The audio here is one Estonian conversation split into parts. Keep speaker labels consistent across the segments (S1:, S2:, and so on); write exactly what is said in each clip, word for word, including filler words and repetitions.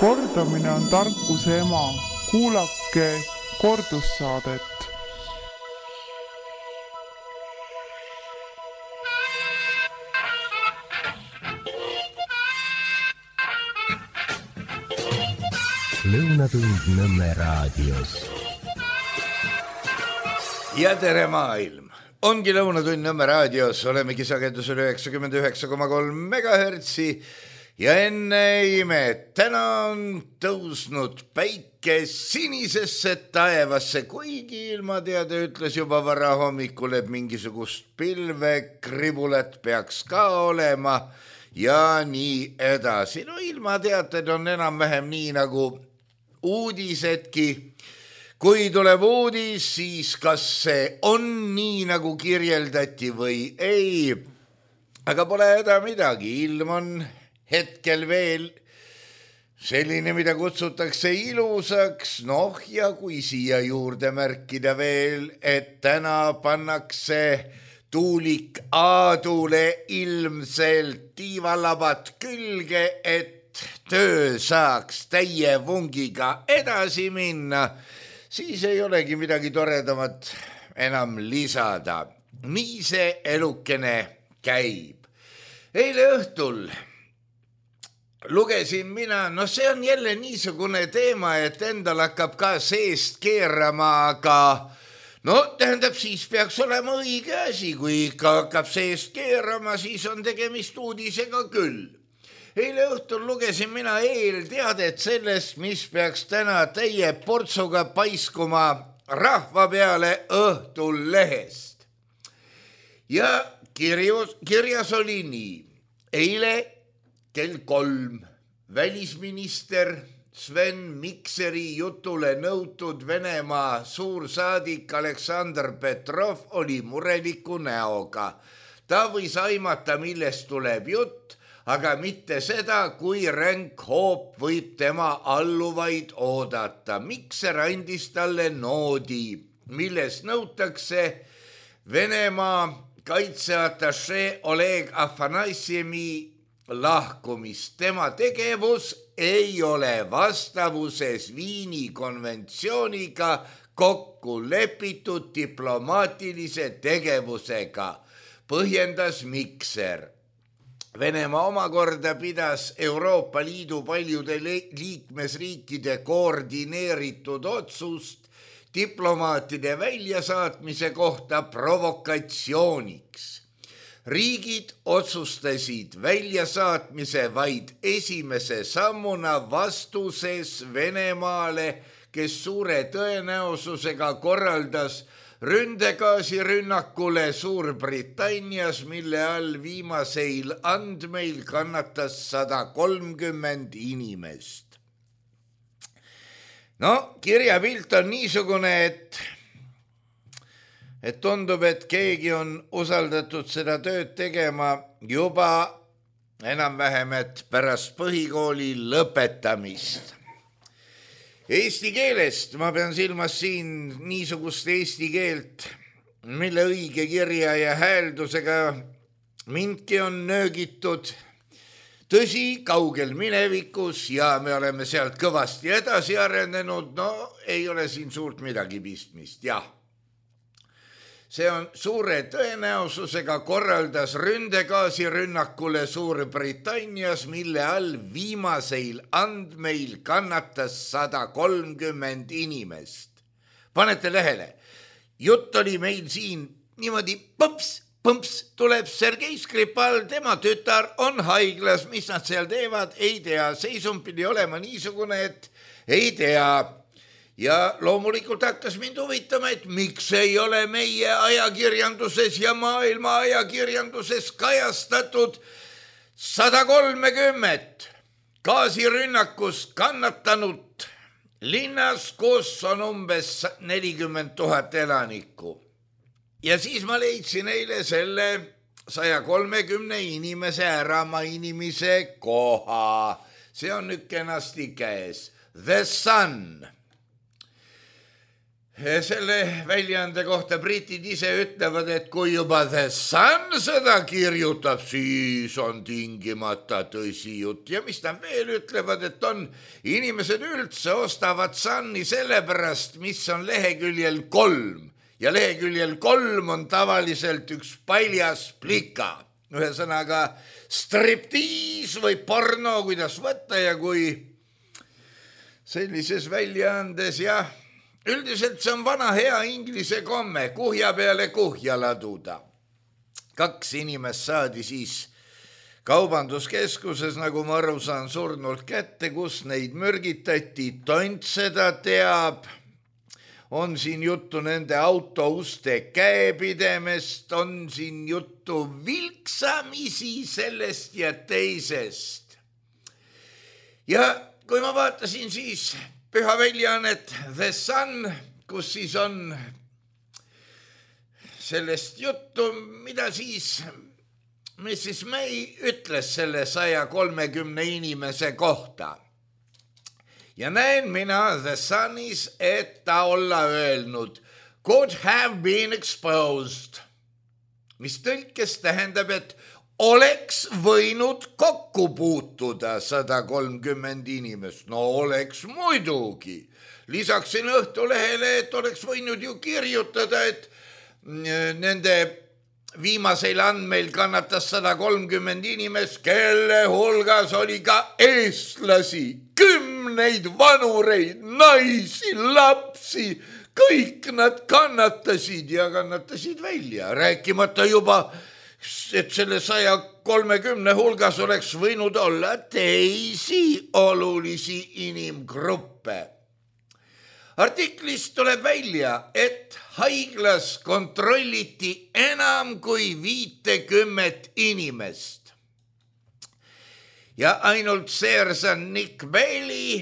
S1: Kordamine on tarkuse ema. Kuulake kordussaadet.
S2: Lõunatund Nõmme raadios.
S3: Ja tere maailm! Ongi Lõunatund Nõmme raadios, olemegi sagedusel üheksakümmend üheksa koma kolm megahertsi ja enne imet, täna on tõusnud päike sinisesse taevasse, kuigi ilmateade ütles juba vara hommikul, et mingisugust pilvekribulat peaks ka olema ja nii edasi. No ilmateated on enam-vähem nii nagu uudisedki. Kui tuleb uudis, siis kas see on nii nagu kirjeldati või ei. Aga pole häda midagi, ilm on hetkel veel selline, mida kutsutakse ilusaks. Noh, ja kui siia juurde märkida veel, et täna pannakse tuulik Aadule ilmselt tiivalabat külge, et töö saaks täie vungiga edasi minna, siis ei olegi midagi toredamat enam lisada. Nii see elukene käib. Eile õhtul lugesin mina, no see on jälle niisugune teema, et endal hakkab ka seest keerama, aga no tähendab, siis peaks olema õige asi, kui ikka hakkab seest keerama, siis on tegemist uudisega küll. Eile õhtul lugesin mina eelteadet sellest, mis peaks täna täie portsuga paiskuma rahva peale õhtul lehest. Ja kirjus, kirjas oli nii. Eile kell kolm välisminister Sven Mikseri jutule nõutud Venemaa suursaadik Aleksandr Petrov oli mureliku näoga. Ta võis aimata, millest tuleb jutt, aga mitte seda, kui ränk hoop võib tema alluvaid oodata. Mikser andis talle noodi, milles nõutakse Venemaa kaitseatašee Oleg Afanassjemi lahkumist. Tema tegevus ei ole vastavuses Viini konventsiooniga kokku lepitud diplomaatilise tegevusega, põhjendas Mikser. Venemaa omakorda pidas Euroopa Liidu paljude liikmesriikide koordineeritud otsust diplomaatide väljasaatmise kohta provokatsiooniks. Riigid otsustasid väljasaatmise vaid esimese sammuna vastuses Venemaale, kes suure tõenäosusega korraldas ründegaasirünnakule Suurbritannias, mille all viimaseil andmeil kannatas sada kolmkümmend inimest. No, kirjapilt on niisugune, et, et tundub, et keegi on usaldatud seda tööd tegema juba enam-vähem, et pärast põhikooli lõpetamist. Eesti keelest ma pean silmas siin niisugust eesti keelt, mille õige kirja ja hääldusega mindki on nöögitud. Tõsi, kaugel minevikus ja me oleme sealt kõvasti edasi arenenud, no ei ole siin suurt midagi pistmist, jah. See on suure tõenäosusega korraldas ründegaasirünnakule Suurbritannias, mille all viimaseil andmeil kannatas sada kolmkümmend inimest. Panete lehele, jutt oli meil siin niimoodi põmps, põmps, tuleb Sergei Skripal, tema tütar on haiglas, mis nad seal teevad, ei tea, seisund pidi olema niisugune, et ei tea. Ja loomulikult hakkas mind huvitama, et miks ei ole meie ajakirjanduses ja maailma ajakirjanduses kajastatud sada kolmekümmend gaasirünnakust kannatanud linnas, kus on umbes nelikümmend tuhat elanikku. Ja siis ma leidsin eile selle saja kolmekümne inimese ära mainimise koha. See on nüüd kenasti käes. The Sun. selle väljaande kohta britid ise ütlevad, et kui juba The Sun seda kirjutab, siis on tingimata tõsi jutt. Ja mis nad veel ütlevad, et on inimesed üldse ostavad Sunni sellepärast, mis on leheküljel kolm. Ja leheküljel kolm on tavaliselt üks paljas plika. Ühesõnaga striptiis või porno, kuidas võtta ja kui sellises väljaandes ja üldiselt see on vana hea inglise komme, kuhja peale kuhja laduda. Kaks inimest saadi siis kaubanduskeskuses, nagu ma aru saan, surnult kätte, kus neid mürgitati, tont seda teab. On siin juttu nende autouste käepidemest, on siin juttu vilksamisi sellest ja teisest. Ja kui ma vaatasin siis püha väljaannet The Sun, kus siis on sellest juttu, mida siis missis May ütles selle saja kolmekümne inimese kohta. Ja näen mina The Sunis, et ta olla öelnud, could have been exposed, mis tõlkes tähendab, et oleks võinud kokku puutuda sada kolmkümmend inimest. No oleks muidugi. Lisaksin Õhtulehele, et oleks võinud ju kirjutada, et nende viimasel andmeil kannatas sada kolmkümmend inimest, kelle hulgas oli ka eestlasi, kümneid vanureid, naisi, lapsi, kõik nad kannatasid ja kannatasid välja, rääkimata juba, et selle saja kolmekümne hulgas oleks võinud olla teisi olulisi inimgruppe. Artiklist tuleb välja, et haiglas kontrolliti enam kui viitekümmet inimest. Ja ainult seersan Nick Bailey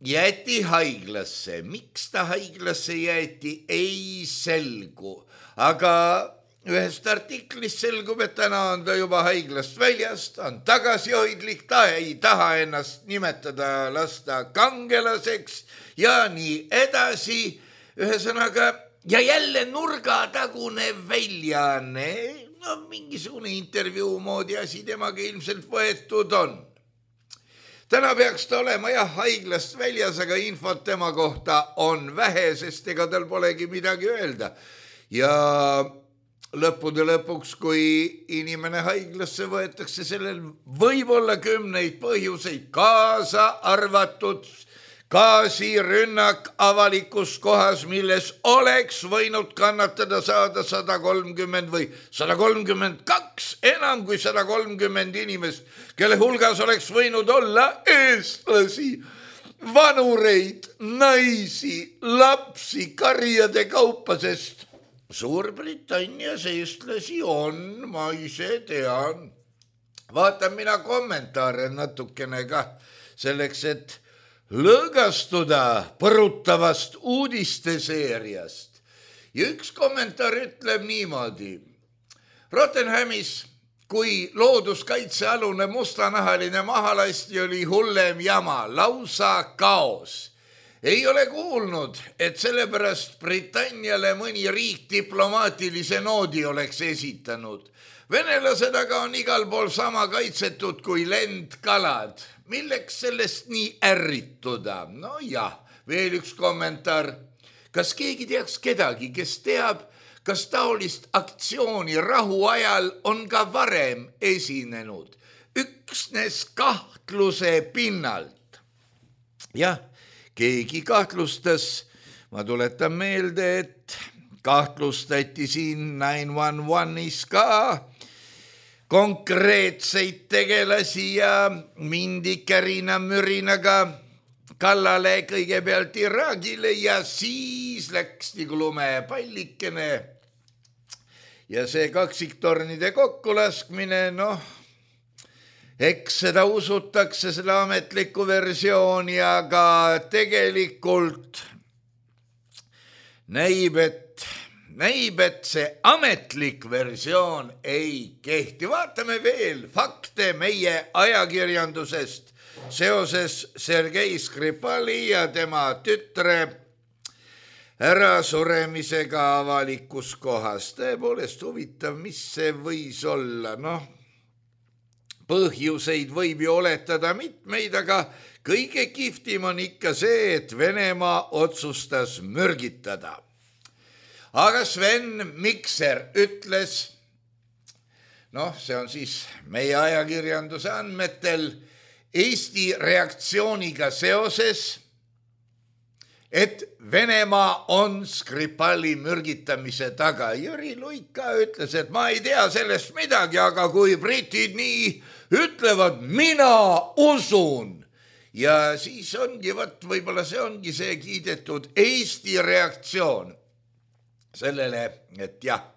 S3: jäeti haiglasse. Miks ta haiglasse jäeti, ei selgu. Aga ühest artiklist selgub, et täna on ta juba haiglast väljast, on tagasihoidlik, ta ei taha ennast nimetada lasta kangelaseks ja nii edasi. Ühesõnaga, ja jälle nurgatagune väljaanne, no mingisugune intervjuu moodi asi temaga ilmselt võetud on. Täna peaks ta olema jah haiglast väljas, aga infot tema kohta on vähe, sest ega tal polegi midagi öelda. Ja lõppude lõpuks, kui inimene haiglasse võetakse, sellel võib olla kümneid põhjuseid, kaasa arvatud gaasirünnak avalikus kohas, milles oleks võinud kannatada saada sada kolmkümmend või sada kolmkümmend kaks, enam kui sada kolmkümmend inimest, kelle hulgas oleks võinud olla eestlasi, vanureid, naisi, lapsi, karjade kaupa, sest Suurbritannias eestlasi on, ma ise tean. Vaatan mina kommentaare natukene ka selleks, et lõõgastuda põrutavast uudisteseeriast. Ja üks kommentaar ütleb niimoodi. Rottenhamis, kui looduskaitsealune mustanahaline mahalasti oli hullem jama, lausa kaos. Ei ole kuulnud, et sellepärast Britanniale mõni riik diplomaatilise noodi oleks esitanud. Venelased aga on igal pool sama kaitsetud kui lendkalad. Milleks sellest nii ärrituda? No jah, veel üks kommentaar. Kas keegi teaks kedagi, kes teab, kas taolist aktsiooni rahu ajal on ka varem esinenud? Üksnes kahtluse pinnalt. Jah, keegi kahtlustas, ma tuletan meelde, et kahtlustati siin nine one one'is ka konkreetseid tegelasi ja mindi kärina mürinaga kallale kõigepealt Iraagile ja siis läks nagu lumepallikene. Ja see kaksiktornide kokkulaskmine, noh, eks seda usutakse, seda ametlikku versiooni, aga tegelikult näib, et, näib, et see ametlik versioon ei kehti. Vaatame veel fakte meie ajakirjandusest seoses Sergei Skripali ja tema tütre ärasuremisega avalikus kohas. Tõepoolest huvitav, mis see võis olla, noh, põhjuseid võib ju oletada mitmeid, aga kõige kihvtim on ikka see, et Venemaa otsustas mürgitada. Aga Sven Mikser ütles, noh, see on siis meie ajakirjanduse andmetel Eesti reaktsiooniga seoses, et Venemaa on Skripali mürgitamise taga. Jüri Luik ka ütles, et ma ei tea sellest midagi, aga kui britid nii ütlevad, mina usun. Ja siis ongi, võt, võib-olla see ongi see kiidetud Eesti reaktsioon sellele, et jah,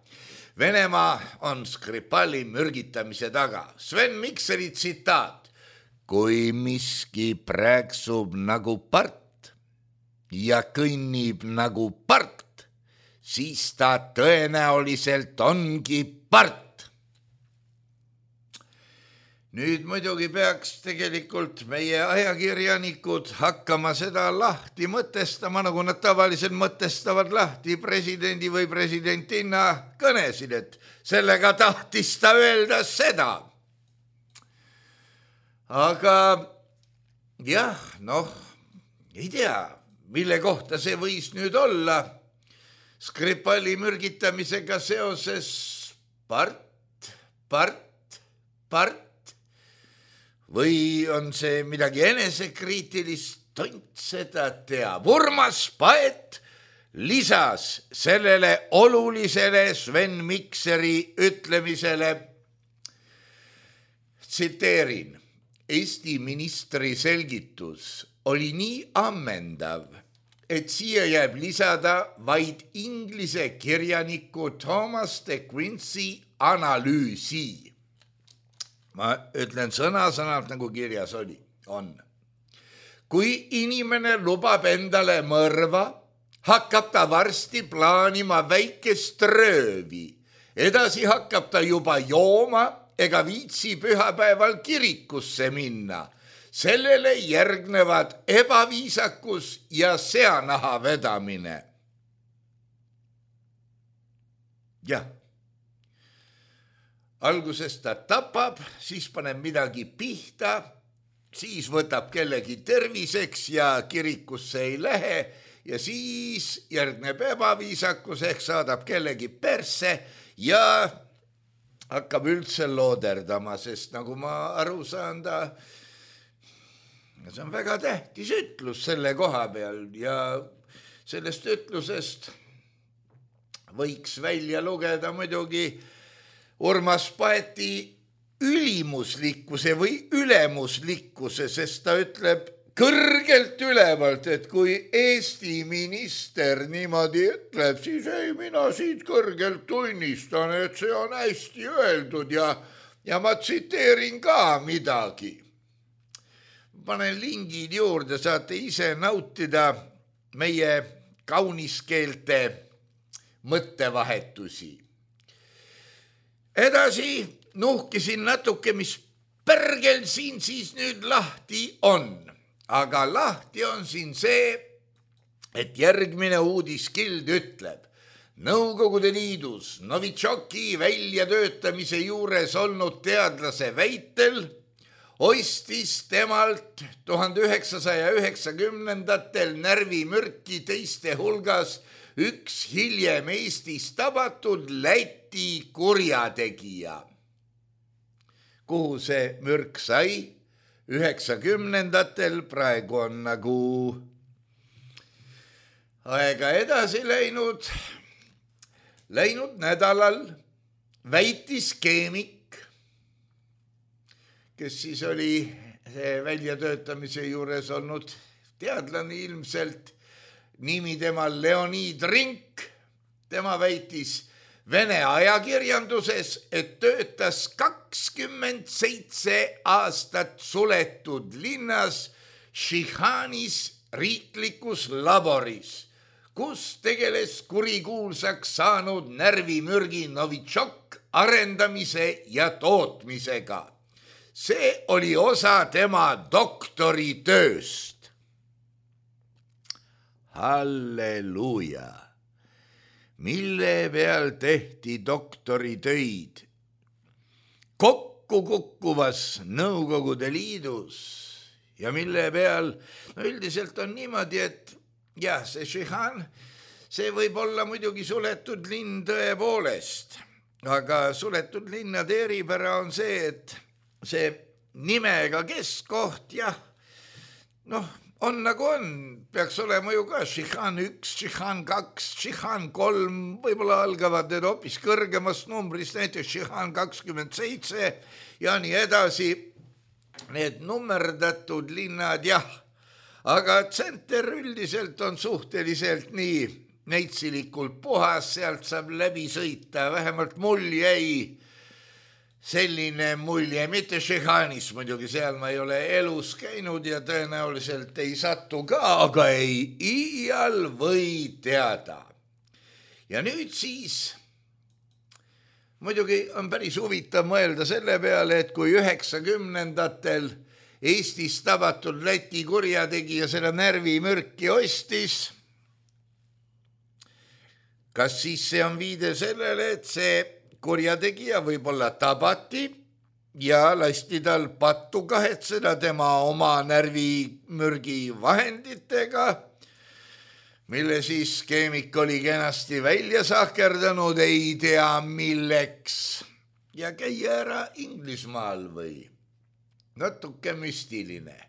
S3: Venemaa on Skripali mürgitamise taga. Sven Mikseri tsitaat. Kui miski prääksub nagu part ja kõnnib nagu part, siis ta tõenäoliselt ongi part. Nüüd muidugi peaks tegelikult meie ajakirjanikud hakkama seda lahti mõtestama, nagu nad tavaliselt mõtestavad lahti presidendi või presidentinna kõnesid, et sellega tahtis ta öelda seda. Aga jah, noh, ei tea, mille kohta see võis nüüd olla. Skripali mürgitamisega seoses part, part, part. Või on see midagi enesekriitilist, tont seda teab. Urmas Paet lisas sellele olulisele Sven Mikseri ütlemisele, tsiteerin, Eesti ministri selgitus oli nii ammendav, et siia jääb lisada vaid inglise kirjaniku Thomas de Quincey analüüsi. Ma ütlen sõna-sõnalt, nagu kirjas oli, on. Kui inimene lubab endale mõrva, hakkab ta varsti plaanima väikest röövi. Edasi hakkab ta juba jooma ega viitsi pühapäeval kirikusse minna. Sellele järgnevad ebaviisakus ja seanaha vedamine. Jah. Alguses ta tapab, siis paneb midagi pihta, siis võtab kellegi terviseks ja kirikusse ei lähe ja siis järgneb ebaviisakus ehk saadab kellegi persse ja hakkab üldse looderdama, sest nagu ma aru saan, ta, see on väga tähtis ütlus selle koha peal ja sellest ütlusest võiks välja lugeda muidugi Urmas Paeti ülimuslikkuse või ülemuslikkuse, sest ta ütleb kõrgelt ülevalt, et kui Eesti minister niimoodi ütleb, siis ei, mina siit kõrgelt tunnistan, et see on hästi öeldud ja, ja ma tsiteerin ka midagi. Panen lingid juurde, saate ise nautida meie kauniskeelte mõttevahetusi. Edasi nuhkisin natuke, mis pärgel siin siis nüüd lahti on. Aga lahti on siin see, et järgmine uudiskild ütleb. Nõukogude Liidus Novitšoki väljatöötamise juures olnud teadlase väitel ostis temalt tuhande üheksasaja üheksakümnendatel närvimürki teiste hulgas üks hiljem Eestis tabatud Läti kurjategija. Kuhu see mürk sai? üheksakümnendatel, praegu on nagu aega edasi läinud. Läinud nädalal väitis keemik, kes siis oli see väljatöötamise juures olnud teadlane ilmselt, nimi temal Leonid Rink, tema väitis Vene ajakirjanduses, et töötas kakskümmend seitse aastat suletud linnas Šihanis riiklikus laboris, kus tegeles kurikuulsaks saanud närvimürgi Novitšok arendamise ja tootmisega. See oli osa tema doktoritööst. halleluuja. Mille peal tehti doktoritöid? Kokku kukkuvas Nõukogude Liidus ja mille peal, no üldiselt on niimoodi, et jah, see Šihan, see võib olla muidugi suletud linn tõepoolest, aga suletud linnade eripära on see, et see nimega keskkoht, jah, noh, on nagu on, peaks olema ju ka Šihan üks, Šihan kaks, Šihan kolm, võib-olla algavad need hoopis kõrgemast numbrist, näiteks Šihan kakskümmend seitse ja nii edasi, need nummerdatud linnad, jah, aga tsenter üldiselt on suhteliselt nii neitsilikult puhas, sealt saab läbi sõita, vähemalt mul jäi selline mulje, mitte Šihanis muidugi, seal ma ei ole elus käinud ja tõenäoliselt ei satu ka, aga ei iial või teada. Ja nüüd siis, muidugi on päris huvitav mõelda selle peale, et kui üheksakümnendatel Eestis tabatud Läti kurjategija seda närvimürki ostis, kas siis see on viide sellele, et see kurjategija võib-olla tabati ja lasti tal pattu kahetseda tema oma närvimürgi vahenditega, mille siis keemik oli kenasti välja sahkerdanud, ei tea milleks, ja käia ära Inglismaal või natuke müstiline.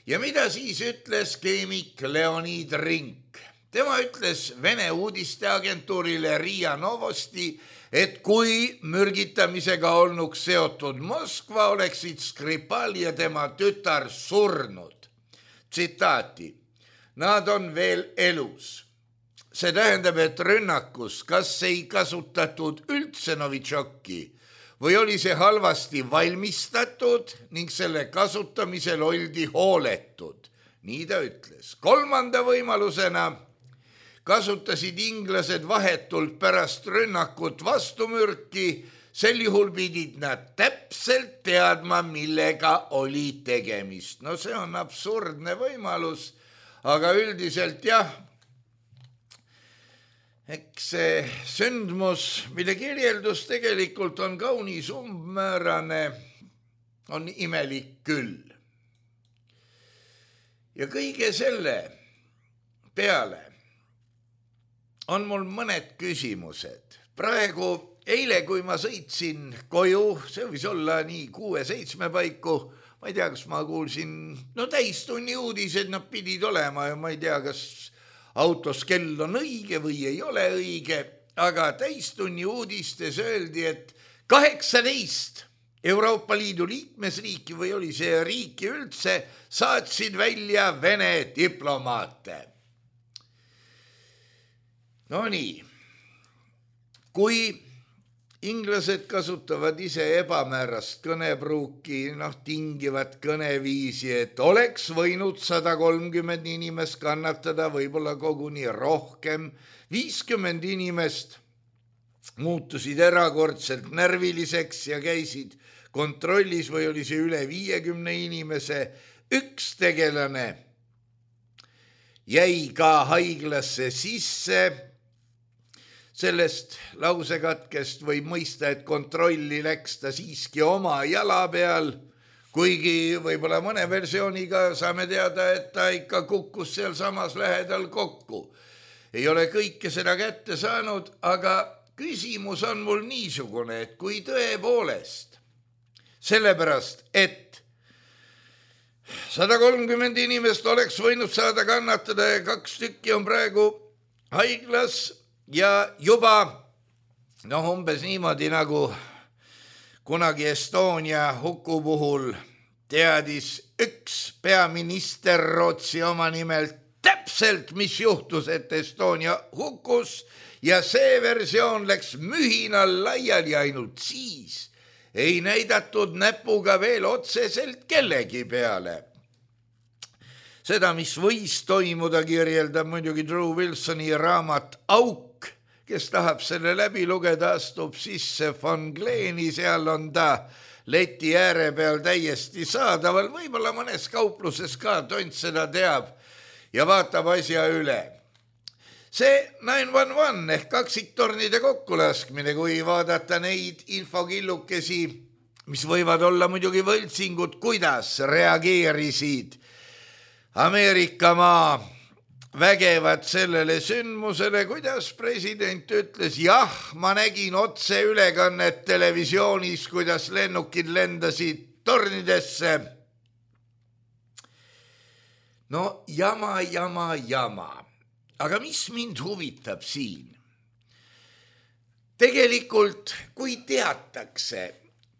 S3: Ja mida siis ütles keemik Leonid Rink? Tema ütles Vene uudisteagentuurile Riia Novosti, et kui mürgitamisega olnuks seotud Moskva, oleksid Skripal ja tema tütar surnud. Tsitaati. Nad on veel elus. See tähendab, et rünnakus kas ei kasutatud üldse Novitšoki või oli see halvasti valmistatud ning selle kasutamisel oldi hooletud. Nii ta ütles. Kolmanda võimalusena kasutasid inglased vahetult pärast rünnakut vastumürki, sel juhul pidid nad täpselt teadma, millega oli tegemist. No see on absurdne võimalus, aga üldiselt jah, eks see sündmus, mille kirjeldus tegelikult on kaunis umbmäärane, on imelik küll. Ja kõige selle peale on mul mõned küsimused. Praegu, eile, kui ma sõitsin koju, see võis olla nii kuue-seitsme paiku, ma ei tea, kas ma kuulsin, no täistunni uudised nad pidid olema ja ma ei tea, kas autos kell on õige või ei ole õige, aga täistunni uudistes öeldi, et kaheksateist Euroopa Liidu liikmesriiki või oli see riiki üldse, saatsid välja Vene diplomaate. No nii, kui inglased kasutavad ise ebamäärast kõnepruuki, noh, tingivat kõneviisi, et oleks võinud sada kolmkümmend inimest kannatada, võib-olla koguni rohkem, viiskümmend inimest muutusid erakordselt närviliseks ja käisid kontrollis või oli see üle viiekümne inimese, üks tegelane jäi ka haiglasse sisse. Sellest lausekatkest võib mõista, et kontrolli läks ta siiski oma jala peal, kuigi võib-olla mõne versiooniga saame teada, et ta ikka kukkus seal samas lähedal kokku. Ei ole kõike seda kätte saanud, aga küsimus on mul niisugune, et kui tõepoolest, sellepärast, et sada kolmkümmend inimest oleks võinud saada kannatada ja kaks tükki on praegu haiglas, ja juba, noh, umbes niimoodi nagu kunagi Estonia huku puhul teadis üks peaminister Rootsi oma nimelt täpselt, mis juhtus, et Estonia hukkus ja see versioon läks mühinal laiali ainult siis. Ei näidatud näpuga veel otseselt kellegi peale. Seda, mis võis toimuda, kirjeldab muidugi Drew Wilsoni raamat Auk, kes tahab selle läbi lugeda, astub sisse Von Gleeni, seal on ta leti ääre peal täiesti saadaval, võib-olla mõnes kaupluses ka, tont seda teab ja vaatab asja üle. see nine one one ehk kaksiktornide kokkulaskmine, kui vaadata neid infokillukesi, mis võivad olla muidugi võltsingud, kuidas reageerisid Ameerika maa vägevad sellele sündmusele, kuidas president ütles, jah, ma nägin otseülekannet televisioonis, kuidas lennukid lendasid tornidesse. No jama, jama, jama. Aga mis mind huvitab siin? Tegelikult, kui teatakse,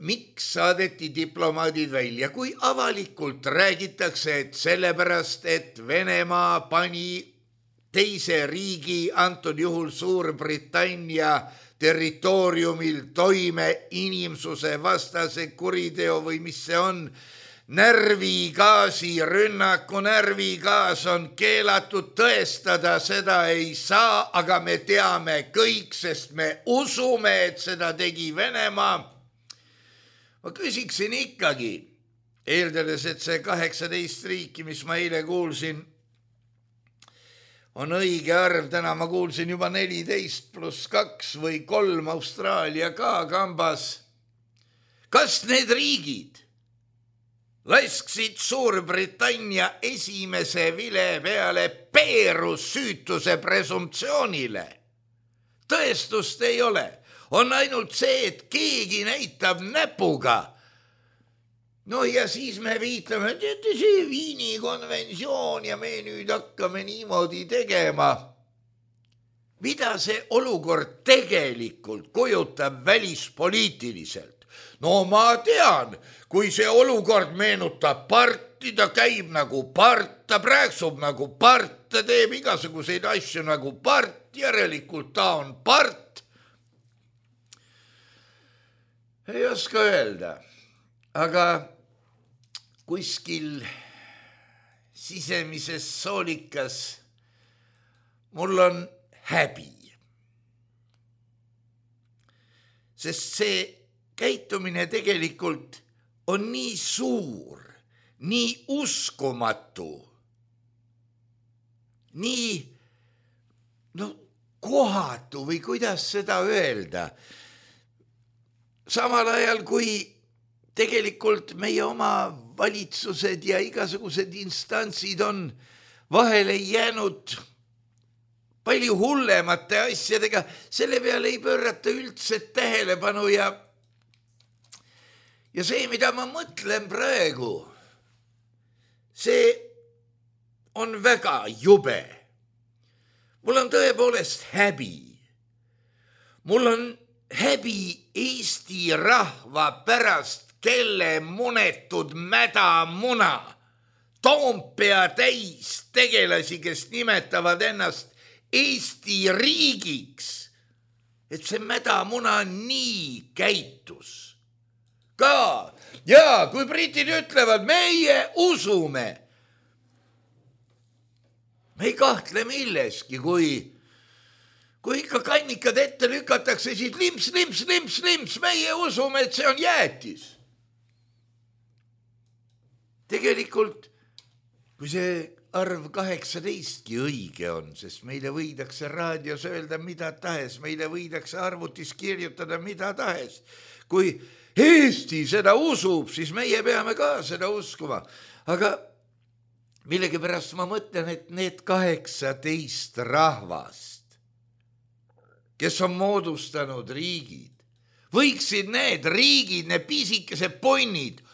S3: miks saadeti diplomaadid välja, kui avalikult räägitakse, et sellepärast, et Venemaa pani teise riigi, antud juhul Suurbritannia territooriumil toime inimsuse vastase kuriteo või mis see on, närvigaasi rünnaku, närvigaas on keelatud, tõestada seda ei saa, aga me teame kõik, sest me usume, et seda tegi Venemaa. Ma küsiksin ikkagi, eeldades, et see kaheksateist riiki, mis ma eile kuulsin, on õige arv, täna ma kuulsin juba neliteist pluss kaks või kolm Austraalia ka kambas. Kas need riigid lasksid Suurbritannia esimese vile peale peerus süütuse presumptsioonile? Tõestust ei ole. On ainult see, et keegi näitab näpuga. No ja siis me viitame, et see Viini konventsioon ja me nüüd hakkame niimoodi tegema. Mida see olukord tegelikult kujutab välispoliitiliselt? No ma tean, kui see olukord meenutab parti, ta käib nagu part, ta prääksub nagu part, ta teeb igasuguseid asju nagu part, järelikult ta on part. Ei oska öelda, aga kuskil sisemises soolikas mul on häbi. Sest see käitumine tegelikult on nii suur, nii uskumatu, nii no, kohatu või kuidas seda öelda. Samal ajal, kui tegelikult meie oma valitsused ja igasugused instantsid on vahele jäänud palju hullemate asjadega, selle peale ei pöörata üldse tähelepanu ja Ja see, mida ma mõtlen praegu, see on väga jube. Mul on tõepoolest häbi. Mul on häbi Eesti rahva pärast, kelle munetud mädamuna, Toompea täis tegelasi, kes nimetavad ennast Eesti riigiks, et see mädamuna nii käitus. Ka, ja kui britid ütlevad, meie usume. Me ei kahtle milleski, kui, kui ikka kannikad ette lükatakse, siis limps, limps, limps, limps, meie usume, et see on jäätis. Tegelikult, kui see arv kaheksateistki õige on, sest meile võidakse raadios öelda mida tahes, meile võidakse arvutis kirjutada mida tahes, kui Eesti seda usub, siis meie peame ka seda uskuma. Aga millegipärast ma mõtlen, et need kaheksateist rahvast, kes on moodustanud riigid, võiksid need riigid, need pisikesed ponnid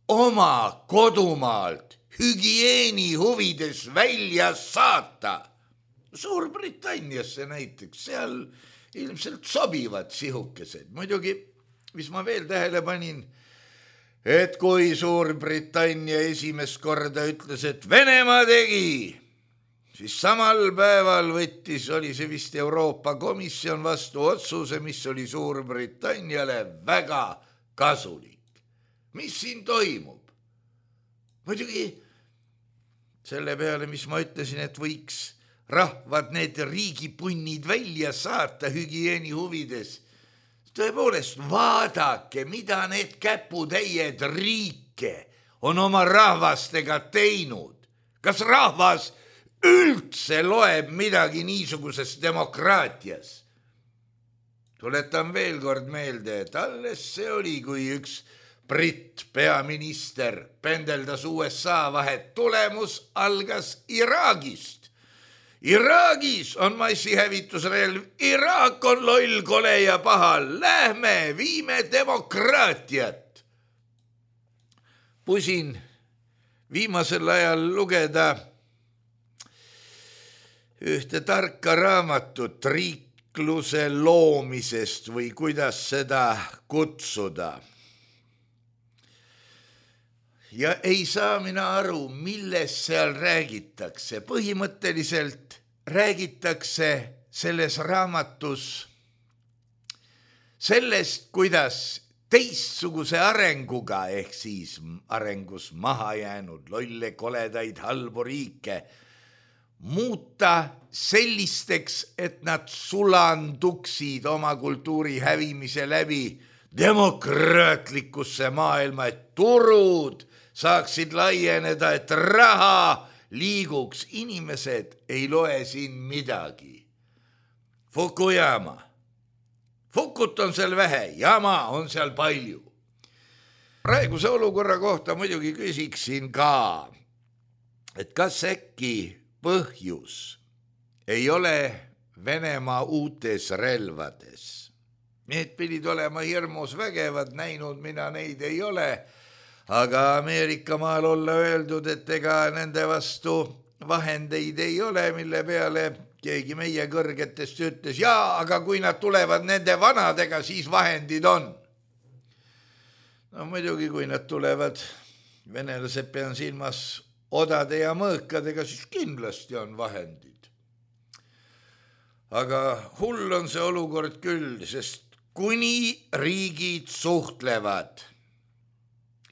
S3: oma kodumaalt hügieeni huvides välja saata. Suurbritanniasse näiteks, seal ilmselt sobivad sihukesed. Muidugi, mis ma veel tähele panin, et kui Suurbritannia esimest korda ütles, et Venemaa tegi, siis samal päeval võttis, oli see vist Euroopa Komisjon vastu otsuse, mis oli Suurbritanniale väga kasulik. Mis siin toimub? Muidugi selle peale, mis ma ütlesin, et võiks rahvad need riigipunnid välja saata hügieeni huvides, tõepoolest, vaadake, mida need käputäied riike on oma rahvastega teinud. Kas rahvas üldse loeb midagi niisuguses demokraatias. Tuletan veel kord meelde, et alles see oli, kui üks Britt peaminister pendeldas U S A vahet. Tulemus algas Iraagist. Iraagis on massihävitusrelv, Iraak on loll, kole ja paha. Lähme, viime demokraatiat. Pusin viimasel ajal lugeda ühte tarka raamatut riikluse loomisest või kuidas seda kutsuda. Ja ei saa mina aru, millest seal räägitakse. Põhimõtteliselt räägitakse selles raamatus sellest, kuidas teistsuguse arenguga ehk siis arengus maha jäänud lolle, koledaid, halbu riike muuta sellisteks, et nad sulanduksid oma kultuuri hävimise läbi demokraatlikusse maailma, et turud saaksid laieneda, et raha liiguks. Inimesed ei loe siin midagi. Fukuyama. Fukut on seal vähe, jama on seal palju. Praeguse olukorra kohta muidugi küsiksin ka, et kas äkki põhjus ei ole Venemaa uutes relvades. Need pidid olema hirmus vägevad, näinud mina neid ei ole, aga Ameerika maal olla öeldud, et ega nende vastu vahendeid ei ole, mille peale keegi meie kõrgetest ütles, jaa, aga kui nad tulevad nende vanadega, siis vahendid on. No muidugi, kui nad tulevad, venelased pean silmas odade ja mõõkadega, siis kindlasti on vahendid. Aga hull on see olukord küll, sest kuni riigid suhtlevad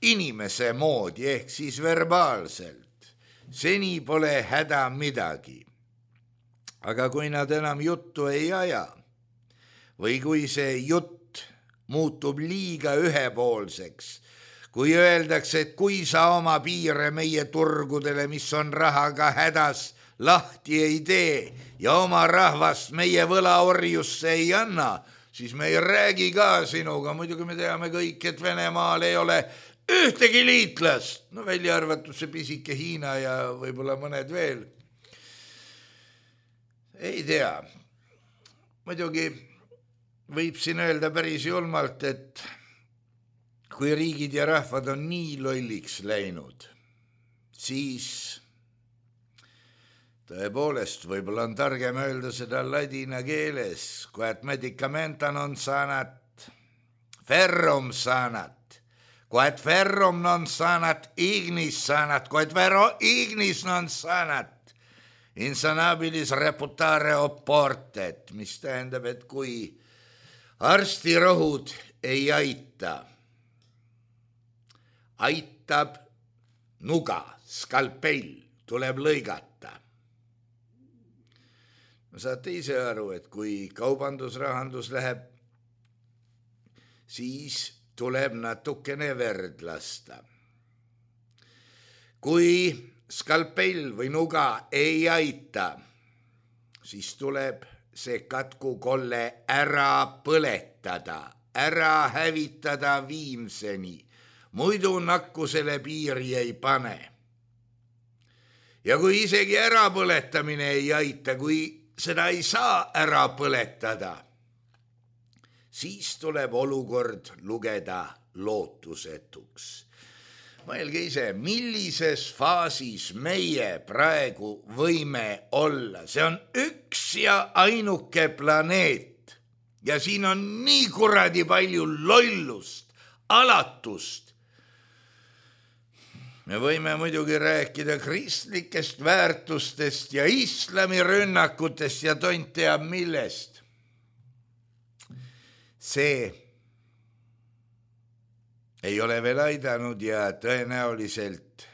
S3: inimese moodi ehk siis verbaalselt, seni pole häda midagi. Aga kui nad enam juttu ei aja või kui see jutt muutub liiga ühepoolseks, kui öeldakse, et kui sa oma piire meie turgudele, mis on rahaga hädas, lahti ei tee ja oma rahvast meie võlaorjusse ei anna, siis me ei räägi ka sinuga. Muidugi me teame kõik, et Venemaal ei ole ühtegi liitlast, no välja arvatud see pisike Hiina ja võib-olla mõned veel. Ei tea. Muidugi võib siin öelda päris julmalt, et kui riigid ja rahvad on nii lolliks läinud, siis tõepoolest võib-olla on targem öelda seda ladina keeles, kui et medicamenta non sanat, ferrum sanat. Kui et ferrum non sanat, ignis sanat, kui et vero ignis non sanat, insanabilis reputare oportet, mis tähendab, et kui arstirohud ei aita, aitab nuga, skalpell, tuleb lõigata. No saate ise aru, et kui kaubandusrahandus läheb, siis tuleb natukene verd lasta. Kui skalpell või nuga ei aita, siis tuleb see katkukolle ära põletada, ära hävitada viimseni, muidu nakkusele piiri ei pane. Ja kui isegi ärapõletamine ei aita, kui seda ei saa ära põletada, siis tuleb olukord lugeda lootusetuks. Mõelge ise, millises faasis meie praegu võime olla. See on üks ja ainuke planeet ja siin on nii kuradi palju lollust, alatust. Me võime muidugi rääkida kristlikest väärtustest ja islami rünnakutest ja tont teab millest. See ei ole veel aidanud ja tõenäoliselt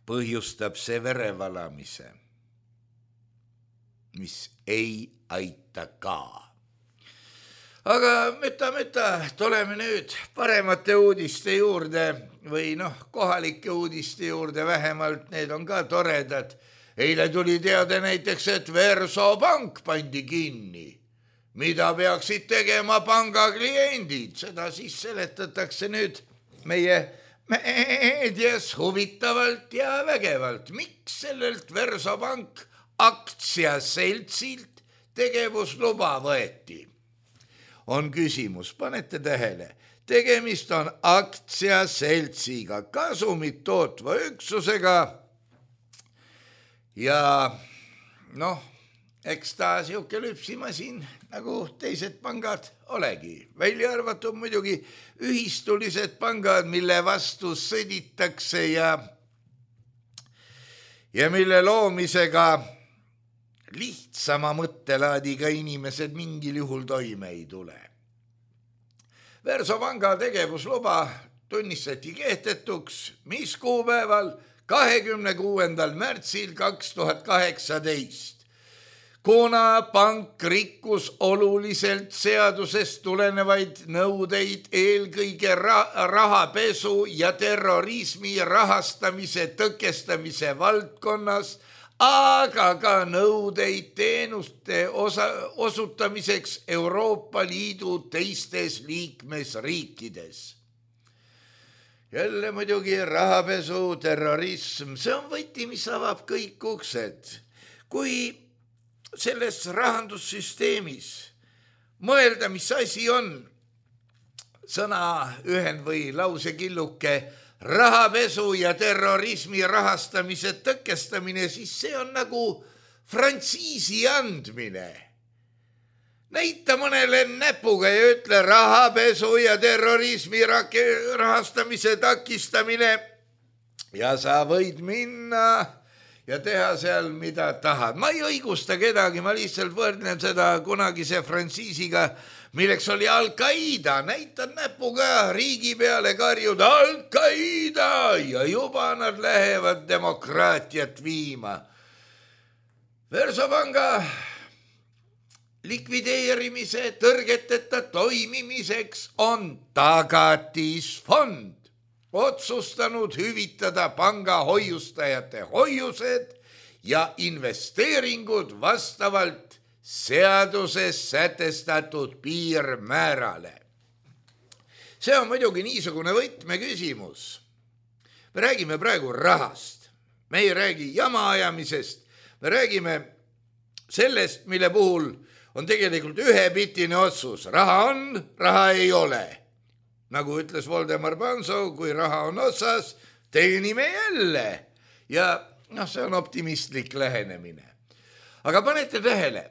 S3: põhjustab see verevalamise, mis ei aita ka. Aga mõta, mõta, tuleme nüüd paremate uudiste juurde või noh, kohalike uudiste juurde vähemalt, need on ka toredad. eile tuli teada näiteks, et Versobank pandi kinni. Mida peaksid tegema panga kliendid? Seda siis seletatakse nüüd meie meedias huvitavalt ja vägevalt. Miks sellelt Versobank aktsiaseltsilt tegevusluba võeti? On küsimus, panete tähele. Tegemist on aktsiaseltsiga, kasumit tootva üksusega ja noh, eks ta siuke lüpsimasin nagu teised pangad olegi. Välja arvatud muidugi ühistulised pangad, mille vastu sõditakse ja, ja mille loomisega lihtsama mõttelaadiga inimesed mingil juhul toime ei tule. Versopanga tegevusluba tunnistati kehtetuks, mis kuupäeval kahekümne kuuendal märtsil kaks tuhat kaheksateist, kuna pank rikkus oluliselt seadusest tulenevaid nõudeid eelkõige rahapesu ja terrorismi rahastamise tõkestamise valdkonnas, aga ka nõudeid teenuste osa, osutamiseks Euroopa Liidu teistes liikmesriikides. Jälle muidugi rahapesu, terrorism, see on võti, mis avab kõik uksed. Kui selles rahandussüsteemis mõelda, mis asi on sõna ühen või lausekilluke rahapesu ja terrorismi rahastamise tõkestamine, siis see on nagu frantsiisi andmine. Näita mõnele näpuga ja ütle rahapesu ja terrorismi rahastamise takistamine ja sa võid minna ja teha seal, mida tahad. Ma ei õigusta kedagi, ma lihtsalt võrdlen seda kunagise frantsiisiga, milleks oli Al-Qaida. Näitad näpuga riigi peale karjud Al-Qaida ja juba nad lähevad demokraatiat viima. Versopanga likvideerimise tõrgeteta toimimiseks on tagatisfond otsustanud hüvitada panga hoiustajate hoiused ja investeeringud vastavalt seaduses sätestatud piirmäärale. See on muidugi niisugune võtmeküsimus. Me räägime praegu rahast. Me ei räägi jama ajamisest. Me räägime sellest, mille puhul on tegelikult ühepitine otsus. Raha on, raha ei ole. Nagu ütles Voldemar Panso, kui raha on otsas, teenime jälle. Ja noh, see on optimistlik lähenemine. Aga panete tähele.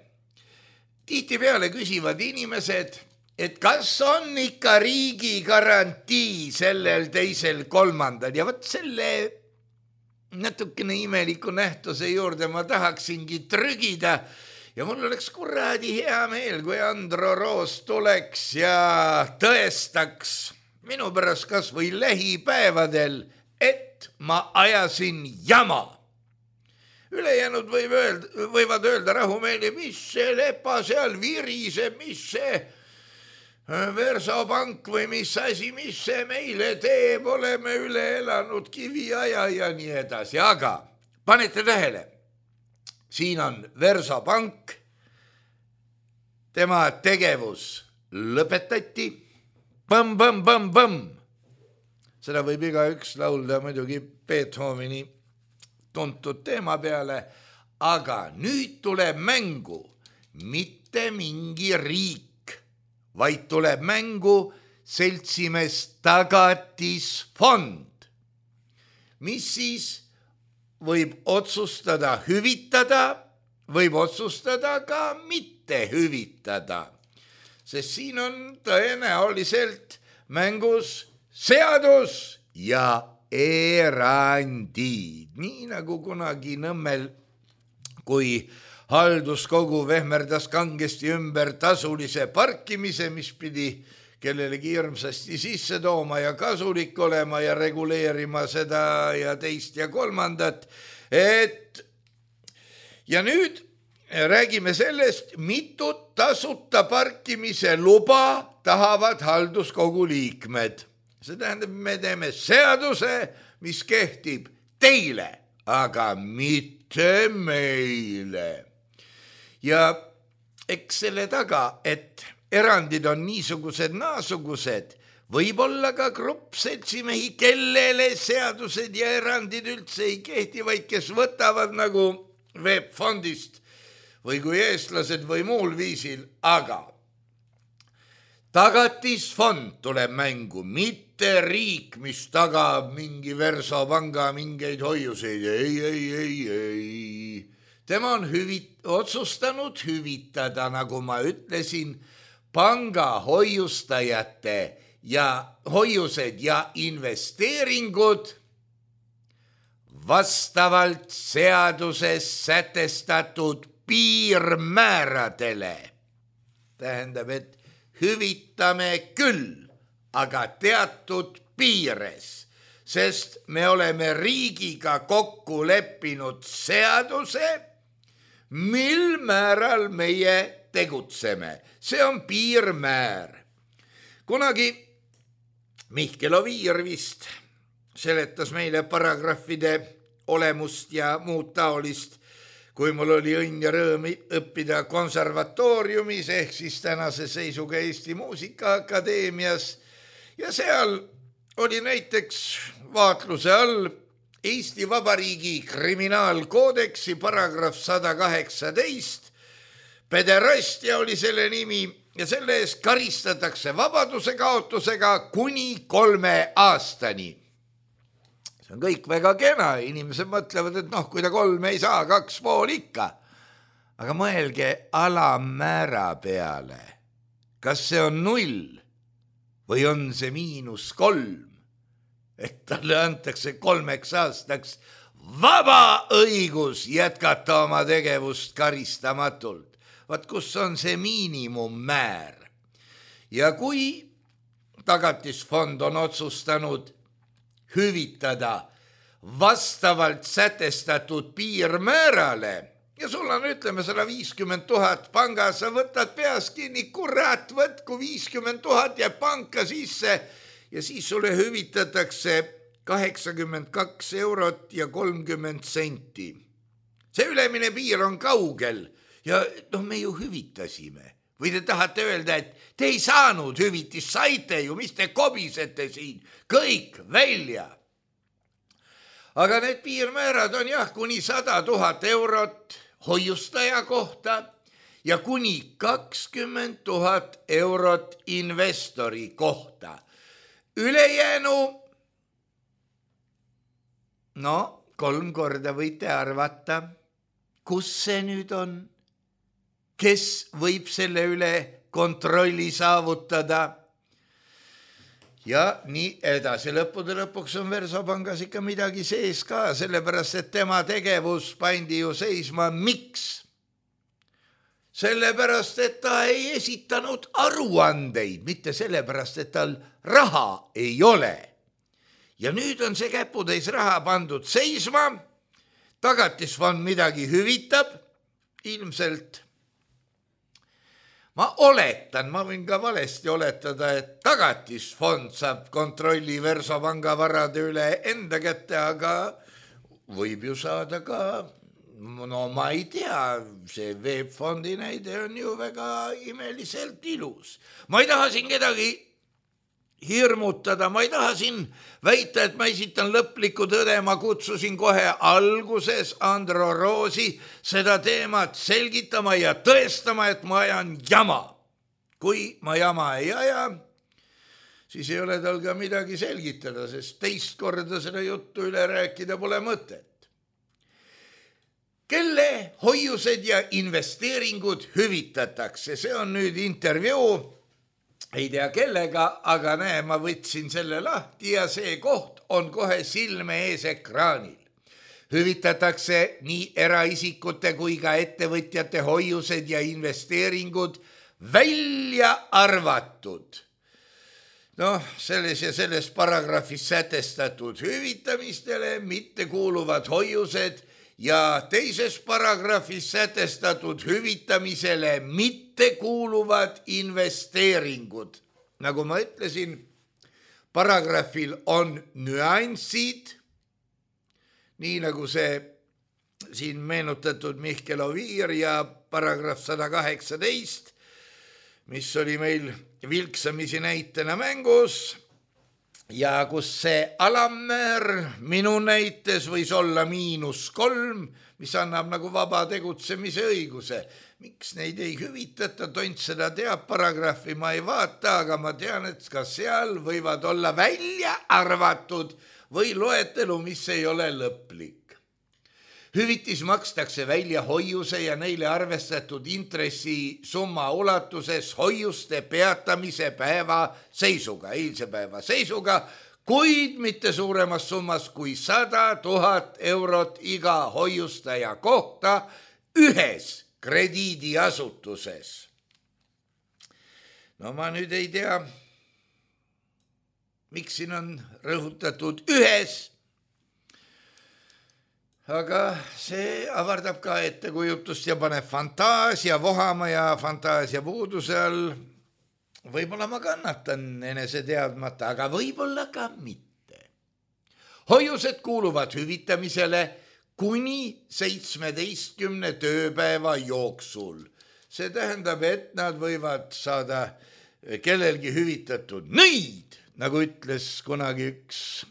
S3: Tihti peale küsivad inimesed, et kas on ikka riigi garantii sellel teisel kolmandal. Ja võt selle natukene imeliku nähtuse juurde ma tahaksingi trügida. Ja mul oleks kuradi hea meel, kui Andro Roos tuleks ja tõestaks minu pärast kas või lähipäevadel, et ma ajasin jama. Ülejäänud võib öelda, võivad öelda rahumeeli, mis see lepa seal viriseb, mis see Versobank või mis asi, mis see meile teeb, oleme üle elanud kiviaja ja nii edasi. Aga panete tähele, siin on Versobank, tema tegevus lõpetati, põmm, põmm, põmm, põmm. Seda võib iga üks laulda muidugi Beethoveni tuntud teema peale, aga nüüd tuleb mängu mitte mingi riik, vaid tuleb mängu seltsimees tagatisfond, mis siis võib otsustada hüvitada, võib otsustada ka mitte hüvitada, sest siin on tõenäoliselt mängus seadus ja erandid, nii nagu kunagi Nõmmel, kui halduskogu vehmerdas kangesti ümber tasulise parkimise, mis pidi kellelegi hirmsasti sisse tooma ja kasulik olema ja reguleerima seda ja teist ja kolmandat. Et ja nüüd räägime sellest, mitut tasuta parkimise luba tahavad halduskogu liikmed. See tähendab, me teeme seaduse, mis kehtib teile, aga mitte meile. Ja eks selle taga, et erandid on niisugused naasugused, võib-olla ka grupp seltsimehi, kellele seadused ja erandid üldse ei kehti, vaid kes võtavad nagu veebfondist või kui eestlased või muul viisil, aga tagatisfond tuleb mängu, mitte riik, mis tagab mingi Versobanga mingeid hoiuseid. Ei, ei, ei, ei. Tema on hüvit- otsustanud hüvitada, nagu ma ütlesin, panga hoiustajate ja hoiused ja investeeringud vastavalt seaduses sätestatud piirmääradele. Tähendab, et hüvitame küll, aga teatud piires, sest me oleme riigiga kokku leppinud seaduse, mil määral meie tegutseme. See on piirmäär. Kunagi Mihkel Oviir vist seletas meile paragrahvide olemust ja muud taolist, kui mul oli õnn ja rõõm õppida konservatooriumis ehk siis tänase seisuga Eesti Muusikaakadeemias ja seal oli näiteks vaatluse all Eesti Vabariigi kriminaalkoodeksi paragrahv sada kaheksateist, pederastia oli selle nimi ja selle eest karistatakse vabaduse kaotusega kuni kolme aastani. See on kõik väga kena, inimesed mõtlevad, et noh, kui ta kolme ei saa, kaks pool ikka. Aga mõelge alammäära peale, kas see on null või on see miinus kolm, et talle antakse kolmeks aastaks vaba õigus jätkata oma tegevust karistamatult. Vaat kus on see miinimummäär. Ja kui tagatisfond on otsustanud hüvitada vastavalt sätestatud piirmäärale ja sul on, ütleme, sada viiskümmend tuhat pangas, sa võtad peas kinni, kurat, võtku viiskümmend tuhat ja panka sisse ja siis sulle hüvitatakse kaheksakümmend kaks eurot ja kolmkümmend senti. See ülemine piir on kaugel ja noh, me ju hüvitasime. Või te tahate öelda, et te ei saanud hüvitist, saite ju, mis te kobisete siin, kõik välja. Aga need piirmäärad on jah, kuni sada tuhat eurot hoiustaja kohta ja kuni kakskümmend tuhat eurot investori kohta. Ülejäänu, no kolm korda võite arvata, kus see nüüd on? Kes võib selle üle kontrolli saavutada? Ja nii edasi. Lõppude lõpuks on Versopangas ikka midagi sees ka, sellepärast, et tema tegevus pandi ju seisma. Miks? Sellepärast, et ta ei esitanud aruandeid, mitte sellepärast, et tal raha ei ole. Ja nüüd on see käputäis raha pandud seisma, tagatisfond midagi hüvitab, ilmselt ma oletan, ma võin ka valesti oletada, et tagatisfond saab kontrolli Versopanga varade üle enda kätte, aga võib ju saada ka, no ma ei tea, see veebfondi näide on ju väga imeliselt ilus. Ma ei taha siin kedagi hirmutada, ma ei taha siin väita, et ma esitan lõplikku tõde, ma kutsusin kohe alguses Andro Roosi seda teemat selgitama ja tõestama, et ma ajan jama. Kui ma jama ei aja, siis ei ole tal ka midagi selgitada, sest teist korda seda juttu üle rääkida pole mõtet. Kelle hoiused ja investeeringud hüvitatakse, see on nüüd intervjuu, ei tea kellega, aga näe, ma võtsin selle lahti ja see koht on kohe silme ees ekraanil. Hüvitatakse nii eraisikute kui ka ettevõtjate hoiused ja investeeringud välja arvatud. Noh, selles ja selles paragrahvis sätestatud hüvitamistele mitte kuuluvad hoiused ja teises paragrahvis sätestatud hüvitamisele mitte kuuluvad investeeringud. Nagu ma ütlesin, paragrahvil on nüansid, nii nagu see siin meenutatud Mihkel Oviir ja paragrahv sada kaheksateist, mis oli meil vilksamisi näitena mängus ja kus see alammäär minu näites võis olla miinus kolm, mis annab nagu vaba tegutsemise õiguse. Miks neid ei hüvitata, tont seda teab, paragrahvi ma ei vaata, aga ma tean, et ka seal võivad olla välja arvatud või loetelu, mis ei ole lõplik. Hüvitis makstakse välja hoiuse ja neile arvestatud intressi summa ulatuses hoiuste peatamise päeva seisuga, eilse päeva seisuga, kuid mitte suuremas summas kui sada tuhat eurot iga hoiustaja kohta ühes krediidiasutuses. No ma nüüd ei tea, miks siin on rõhutatud ühes, aga see avardab ka ettekujutust ja paneb fantaasia vohama ja fantaasia puuduse all. Võib-olla ma kannatan enese teadmata, aga võib-olla ka mitte. Hoiused kuuluvad hüvitamisele kuni seitsmeteistkümne tööpäeva jooksul. See tähendab, et nad võivad saada kellelgi hüvitatud nõid, nagu ütles kunagi üks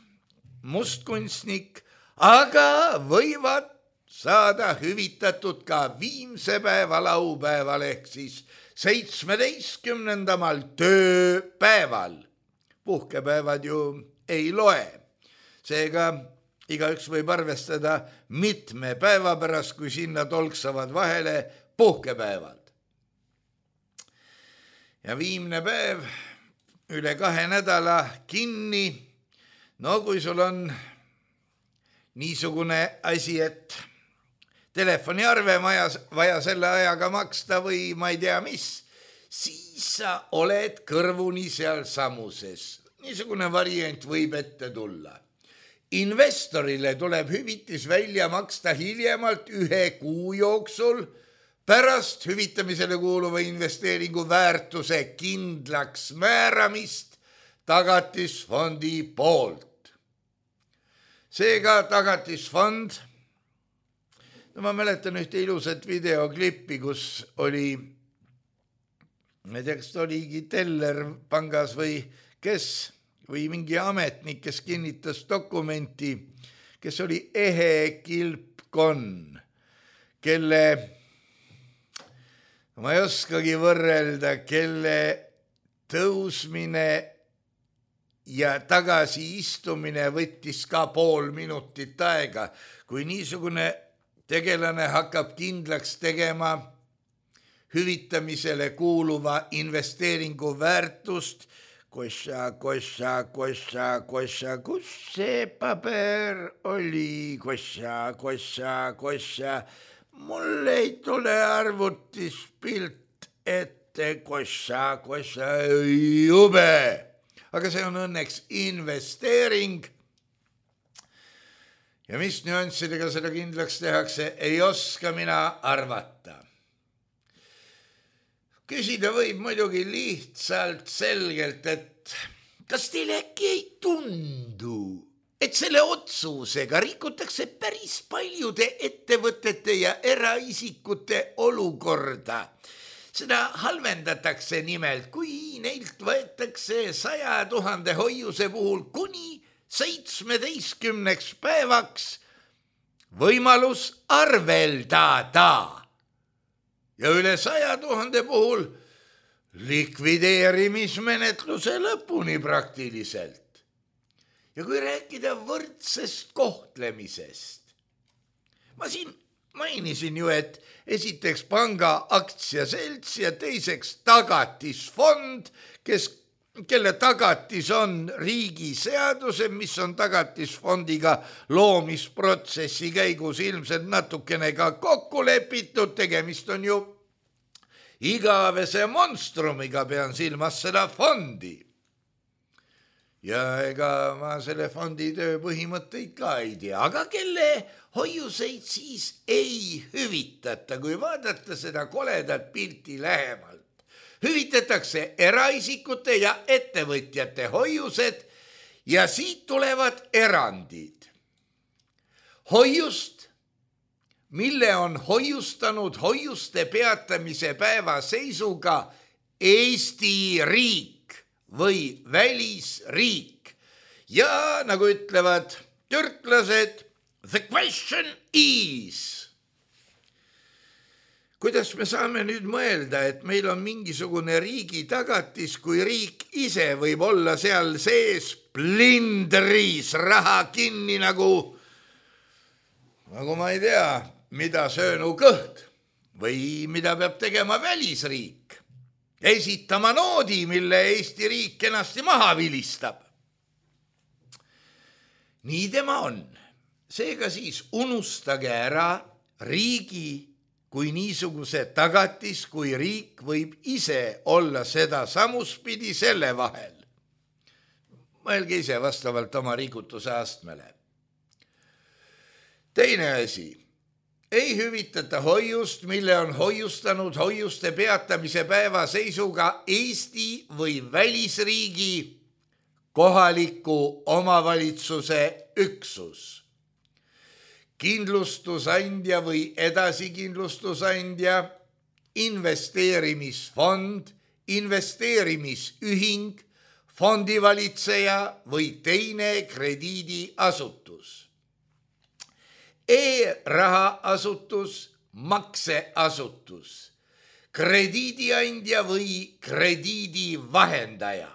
S3: mustkunstnik, aga võivad saada hüvitatud ka viimse päeva laupäeval ehk siis seitsmeteistkümnendamal tööpäeval. Puhkepäevad ju ei loe. Seega igaüks võib arvestada mitme päeva pärast, kui sinna tolksavad vahele puhkepäevad. Ja viimne päev üle kahe nädala kinni. No kui sul on niisugune asi, et telefoniarve vaja, vaja selle ajaga maksta või ma ei tea mis, siis sa oled kõrvuni seal samuses. Niisugune variant võib ette tulla. Investorile tuleb hüvitis välja maksta hiljemalt ühe kuu jooksul pärast hüvitamisele kuuluva investeeringu väärtuse kindlaks määramist tagatisfondi poolt. Seega tagatisfond, no ma mäletan ühte ilusat videoklippi, kus oli, ma ei tea, kas oligi teller pangas või kes, või mingi ametnik, kes kinnitas dokumenti, kes oli Ehe Kilpkon, kelle, ma ei oskagi võrrelda, kelle tõusmine ja tagasi istumine võttis ka pool minutit aega. Kui niisugune tegelane hakkab kindlaks tegema hüvitamisele kuuluva investeeringu väärtust, kossa, kossa, kossa, kossa, kus see paber oli, kossa, kossa, kossa, mul ei tule arvutis pilt ette, kossa, kossa, jube. Aga see on õnneks investeering. Ja mis nüanssidega seda kindlaks tehakse, ei oska mina arvata. Küsida võib muidugi lihtsalt selgelt, et kas teile äkki ei tundu, et selle otsusega rikutakse päris paljude ettevõtete ja eraisikute olukorda. Seda halvendatakse nimelt, kui neilt võetakse saja tuhande hoiuse puhul kuni seitsmeteistkümneks päevaks võimalus arveldada. Ja üle saja tuhande puhul likvideerimismenetluse lõpuni praktiliselt. Ja kui rääkida võrdsest kohtlemisest, ma siin mainisin ju, et esiteks panga aktsiaselts ja teiseks tagatisfond, kes, kelle tagatis on riigiseaduse, mis on tagatisfondiga loomisprotsessi käigus ilmselt natukene ka kokku lepitud, tegemist on ju igavese monstrumiga, pean silmas seda fondi. Ja ega ma selle fondi töö põhimõtteid ka ei tea, aga kelle hoiuseid siis ei hüvitata, kui vaadata seda koledat pilti lähemalt. Hüvitatakse eraisikute ja ettevõtjate hoiused ja siit tulevad erandid. hoiust, mille on hoiustanud hoiuste peatamise päeva seisuga Eesti riik või välisriik. Ja nagu ütlevad türklased, the question is. Kuidas me saame nüüd mõelda, et meil on mingisugune riigi tagatis, kui riik ise võib olla seal sees plindris raha kinni nagu, nagu ma ei tea, mida söönu kõht või mida peab tegema välisriik. Esitama noodi, mille Eesti riik kenasti maha vilistab. Nii tema on. Seega siis unustage ära riigi kui niisuguse tagatis, kui riik võib ise olla seda samuspidi selle vahel. Mõelge ise vastavalt oma riikutuse astmele. Teine asi, ei hüvitata hoiust, mille on hoiustanud hoiuste peatamise päeva seisuga Eesti või välisriigi kohaliku omavalitsuse üksus. Kindlustusandja või edasikindlustusandja, investeerimisfond, investeerimisühing, fondivalitseja või teine krediidiasutus. E-rahaasutus, makseasutus, krediidiandja või krediidivahendaja.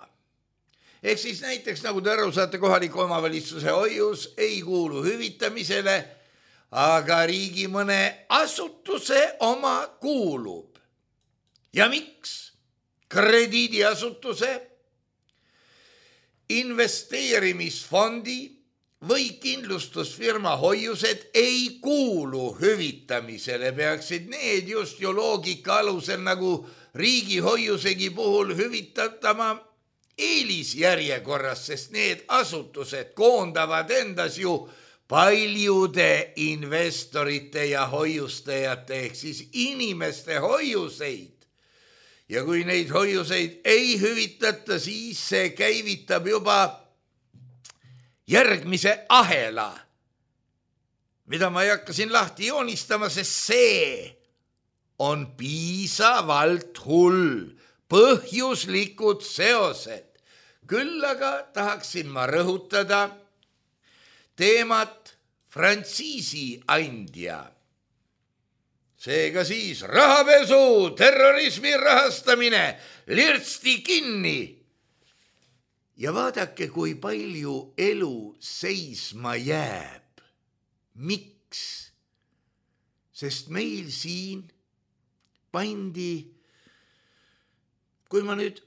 S3: Ehk siis näiteks, nagu te aru saate, kohaliku omavalitsuse hoius ei kuulu hüvitamisele, aga riigi mõne asutuse oma kuulub. Ja miks? Krediidiasutuse, investeerimisfondi või kindlustusfirma hoiused ei kuulu hüvitamisele. Peaksid need just ju loogika alusel nagu riigi hoiusegi puhul hüvitatama eelisjärjekorras, sest need asutused koondavad endas ju paljude investorite ja hoiustajate ehk siis inimeste hoiuseid. Ja kui neid hoiuseid ei hüvitata, siis see käivitab juba järgmise ahela, mida ma ei hakka siin lahti joonistama, sest see on piisavalt hull, põhjuslikud seosed. Küll aga tahaksin ma rõhutada teemat frantsiisi andja. Seega siis rahapesu, terrorismi rahastamine, lirtsti kinni. Ja vaadake, kui palju elu seisma jääb. Miks? Sest meil siin pandi, kui ma nüüd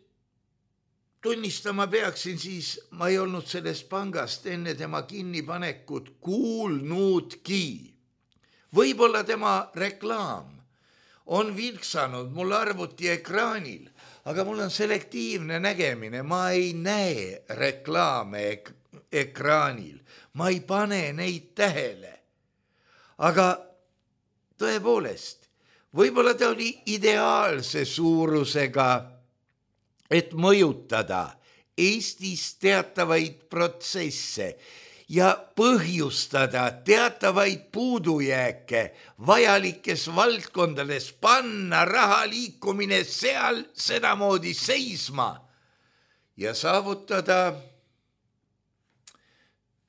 S3: tunnistama peaksin, siis ma ei olnud sellest pangast enne tema kinnipanekut kuulnudki. Võib-olla tema reklaam on vilksanud mul arvuti ekraanil, aga mul on selektiivne nägemine. Ma ei näe reklaame ek- ekraanil. Ma ei pane neid tähele. Aga tõepoolest, võib-olla ta oli ideaalse suurusega, et mõjutada Eestis teatavaid protsesse ja põhjustada teatavaid puudujääke vajalikes valdkondades, panna raha liikumine seal sedamoodi seisma ja saavutada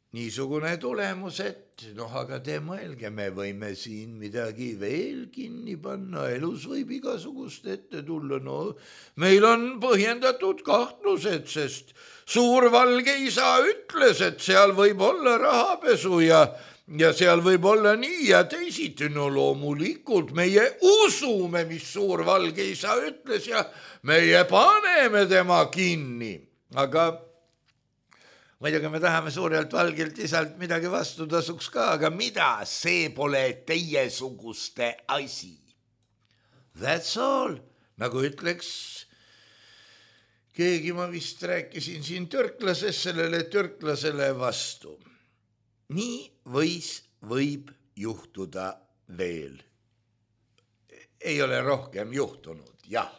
S3: niisugune tulemus, et noh, aga te mõelge, me võime siin midagi veel kinni panna, elus võib igasugust ette tulla, no meil on põhjendatud kahtlused, sest suur valge isa ütles, et seal võib olla rahapesu ja, ja seal võib olla nii ja teisiti. No loomulikult meie usume, mis suur valge isa ütles ja meie paneme tema kinni, aga muidugi me tahame suurelt valgelt isalt midagi vastu tasuks ka, aga mida, see pole teiesuguste asi. That's all, nagu ütleks keegi, ma vist rääkisin siin türklases sellele türklasele vastu. Nii võis, võib juhtuda veel. Ei ole rohkem juhtunud, jah.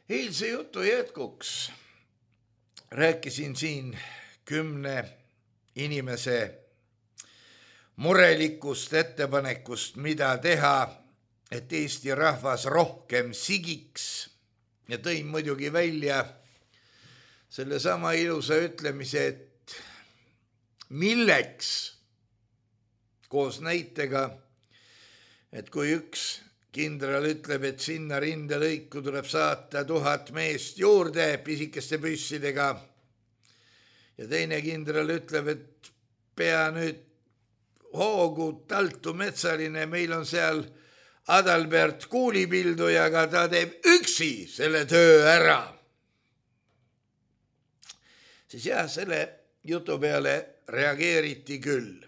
S3: Eilse jutu jätkuks rääkisin siin kümne inimese murelikust ettepanekust, mida teha, et Eesti rahvas rohkem sigiks ja tõin muidugi välja selle sama ilusa ütlemise, et milleks koos näitega, et kui üks kindral ütleb, et sinna rindelõiku tuleb saata tuhat meest juurde pisikeste püssidega ja teine kindral ütleb, et pea nüüd hoogu Taltu Metsaline, meil on seal Adalbert Kuulipildujaga, ta teeb üksi selle töö ära. Siis jah, selle jutu peale reageeriti küll.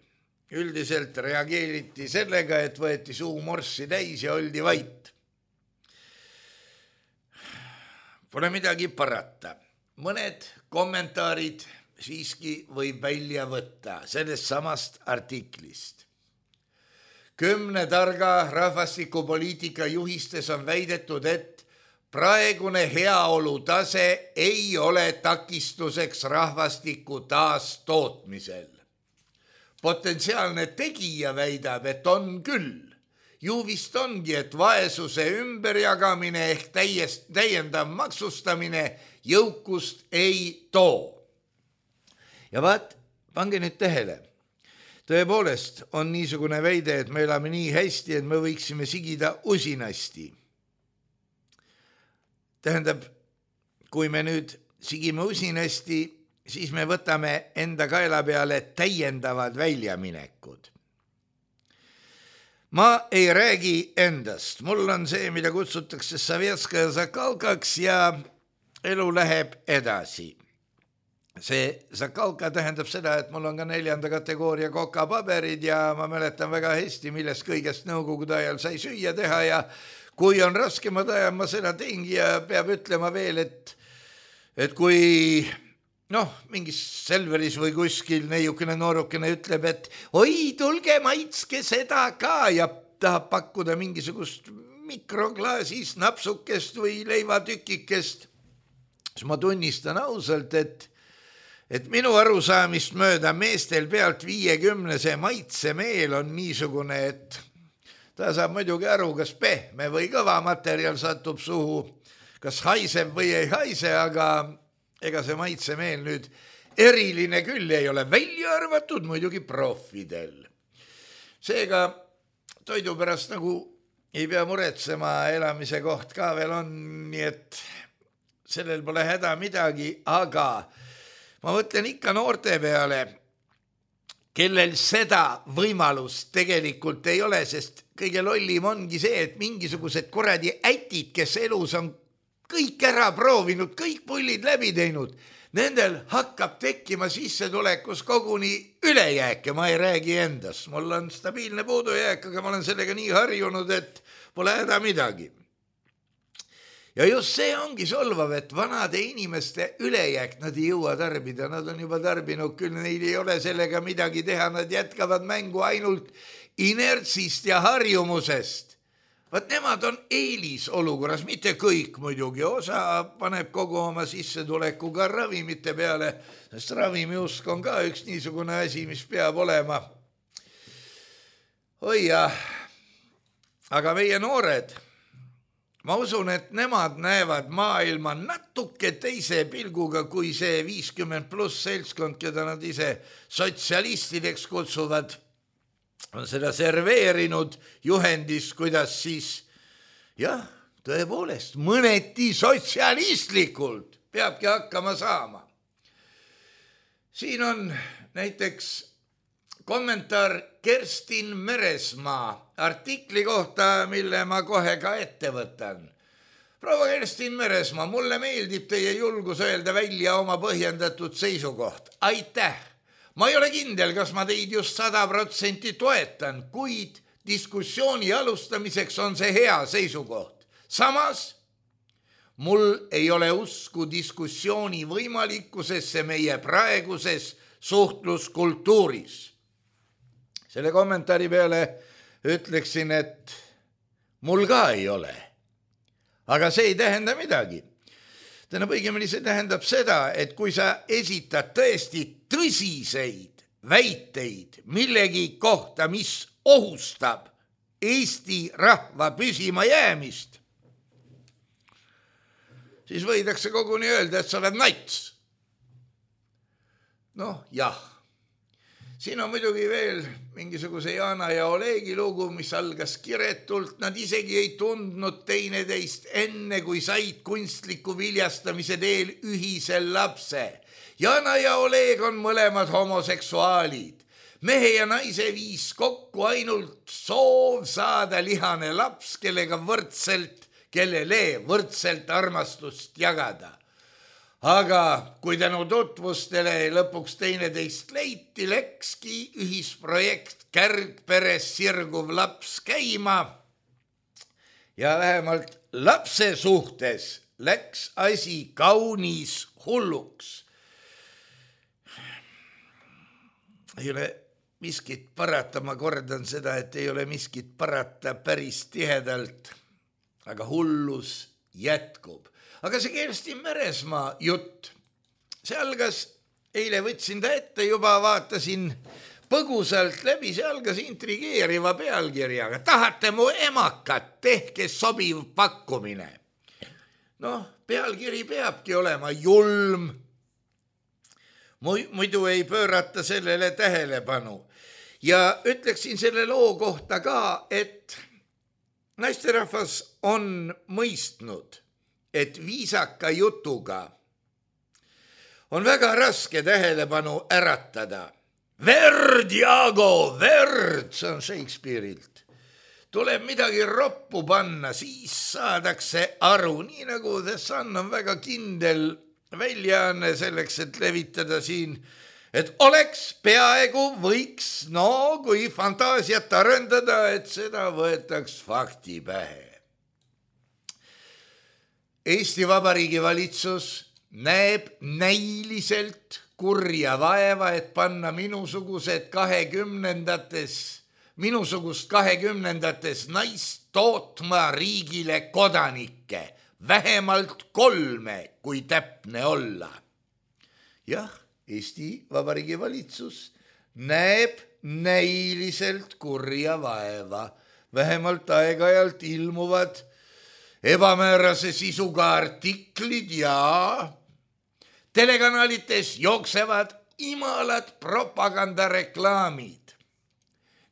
S3: Üldiselt reageeriti sellega, et võeti suu morssi täis ja oldi vait. Pole midagi parata. Mõned kommentaarid siiski võib välja võtta sellest samast artiklist. Kümne targa rahvastikupoliitika juhistes on väidetud, et praegune heaolu tase ei ole takistuseks rahvastiku taastootmisel. Potentsiaalne tegija väidab, et on küll. Ju vist ongi, et vaesuse ümberjagamine ehk täiest, täiendav maksustamine jõukust ei too. Ja vaat, pange nüüd tähele. Tõepoolest on niisugune väide, et me elame nii hästi, et me võiksime sigida usinasti. Tähendab, kui me nüüd sigime usinasti, siis me võtame enda kaela peale täiendavad väljaminekud. Ma ei räägi endast. Mul on see, mida kutsutakse Sovetskaja Zakalkaks ja elu läheb edasi. See Zakalka tähendab seda, et mul on ka neljanda kategooria kokapaberid ja ma mäletan väga hästi, millest kõigest nõukogude ajal sai süüa teha ja kui on raskemad ajal, ma seda teingi ja peab ütlema veel, et, et kui noh, mingis Selveris või kuskil neiukene noorukene ütleb, et oi, tulge maitske seda ka ja tahab pakkuda mingisugust mikroklaasis napsukest või leivatükikest, siis ma tunnistan ausalt, et et minu arusaamist mööda meestel pealt viiekümnese maitsemeel on niisugune, et ta saab muidugi aru, kas pehme või kõva materjal satub suhu, kas haiseb või ei haise, aga ega see maitsemeel nüüd eriline küll ei ole, välja arvatud muidugi profidel. Seega toidu pärast nagu ei pea muretsema, elamise koht ka veel on, nii et sellel pole häda midagi, aga ma mõtlen ikka noorte peale, kellel seda võimalust tegelikult ei ole, sest kõige lollim ongi see, et mingisugused kuradi ätid, kes elus on kõik ära proovinud, kõik pullid läbi teinud, nendel hakkab tekkima sissetulekus koguni ülejääke, ma ei räägi endast. Mul on stabiilne puudujääk, aga ma olen sellega nii harjunud, et pole häda midagi. Ja just see ongi solvav, et vanade inimeste ülejääk nad ei jõua tarbida, nad on juba tarbinud, küll neil ei ole sellega midagi teha, nad jätkavad mängu ainult inertsist ja harjumusest. Vaat nemad on eelisolukorras, mitte kõik muidugi, osa paneb kogu oma sissetulekuga ravimite peale, sest ravimiusk on ka üks niisugune asi, mis peab olema. Oi jah, aga meie noored, ma usun, et nemad näevad maailma natuke teise pilguga kui see viiskümmend pluss seltskond, keda nad ise sotsialistideks kutsuvad, on seda serveerinud juhendis, kuidas siis, jah, tõepoolest, mõneti sotsialistlikult peabki hakkama saama. Siin on näiteks kommentaar Kerstin Meresmaa artikli kohta, mille ma kohe ka ette võtan. Proua Kerstin Meresmaa, mulle meeldib teie julgus öelda välja oma põhjendatud seisukoht. Aitäh! Ma ei ole kindel, kas ma teid just sada protsenti toetan, kuid diskussiooni alustamiseks on see hea seisukoht. Samas, mul ei ole usku diskussiooni võimalikkusesse meie praeguses suhtluskultuuris. Selle kommentaari peale ütleksin, et mul ka ei ole. Aga see ei tähenda midagi. Tähendab, õigemini see tähendab seda, et kui sa esitad tõesti tõsiseid väiteid millegi kohta, mis ohustab Eesti rahva püsima jäämist, siis võidakse koguni öelda, et sa oled nats. Noh, jah. Siin on muidugi veel mingisuguse Jana ja Olegi lugu, mis algas kiretult. Nad isegi ei tundnud teineteist enne, kui said kunstliku viljastamise teel ühisel lapse. Jana ja Oleg on mõlemad homoseksuaalid. Mehe ja naise viis kokku ainult soov saada lihane laps, kellega võrdselt, kellele võrdselt armastust jagada. Aga kui tänu tutvustele lõpuks teineteist leiti, läkski ühisprojekt Kärgperes sirguv laps käima ja vähemalt lapse suhtes läks asi kaunis hulluks. Ei ole miskit parata, ma kordan seda, et ei ole miskit parata päris tihedalt, aga hullus jätkub. Aga see Kerstin Meresmaa jutt, see algas, eile võtsin ta ette, juba vaatasin põgusalt läbi, see algas intrigeeriva pealkirjaga. Tahate mu emakat, tehke sobiv pakkumine. Noh, pealkiri peabki olema julm. Muidu ei pöörata sellele tähelepanu. Ja ütleksin selle loo kohta ka, et naisterahvas on mõistnud, et viisaka jutuga on väga raske tähelepanu äratada. Verd, Jaago, verd, see on Shakespeare'ilt. Tuleb midagi roppu panna, siis saadakse aru, nii nagu The Sun on väga kindel väljaanne selleks, et levitada siin, et oleks peaaegu võiks, no kui fantaasiat arendada, et seda võetaks fakti pähe. Eesti Vabariigi valitsus näeb näiliselt kurja vaeva, et panna minusugused kahekümnendates, minusugust kahekümnendates naist tootma riigile kodanikke, vähemalt kolme, kui täpne olla. Jah, Eesti Vabariigi valitsus näeb näiliselt kurja vaeva, vähemalt aeg-ajalt ilmuvad ebamäärase sisuga artiklid ja telekanalites jooksevad imalad propagandareklaamid.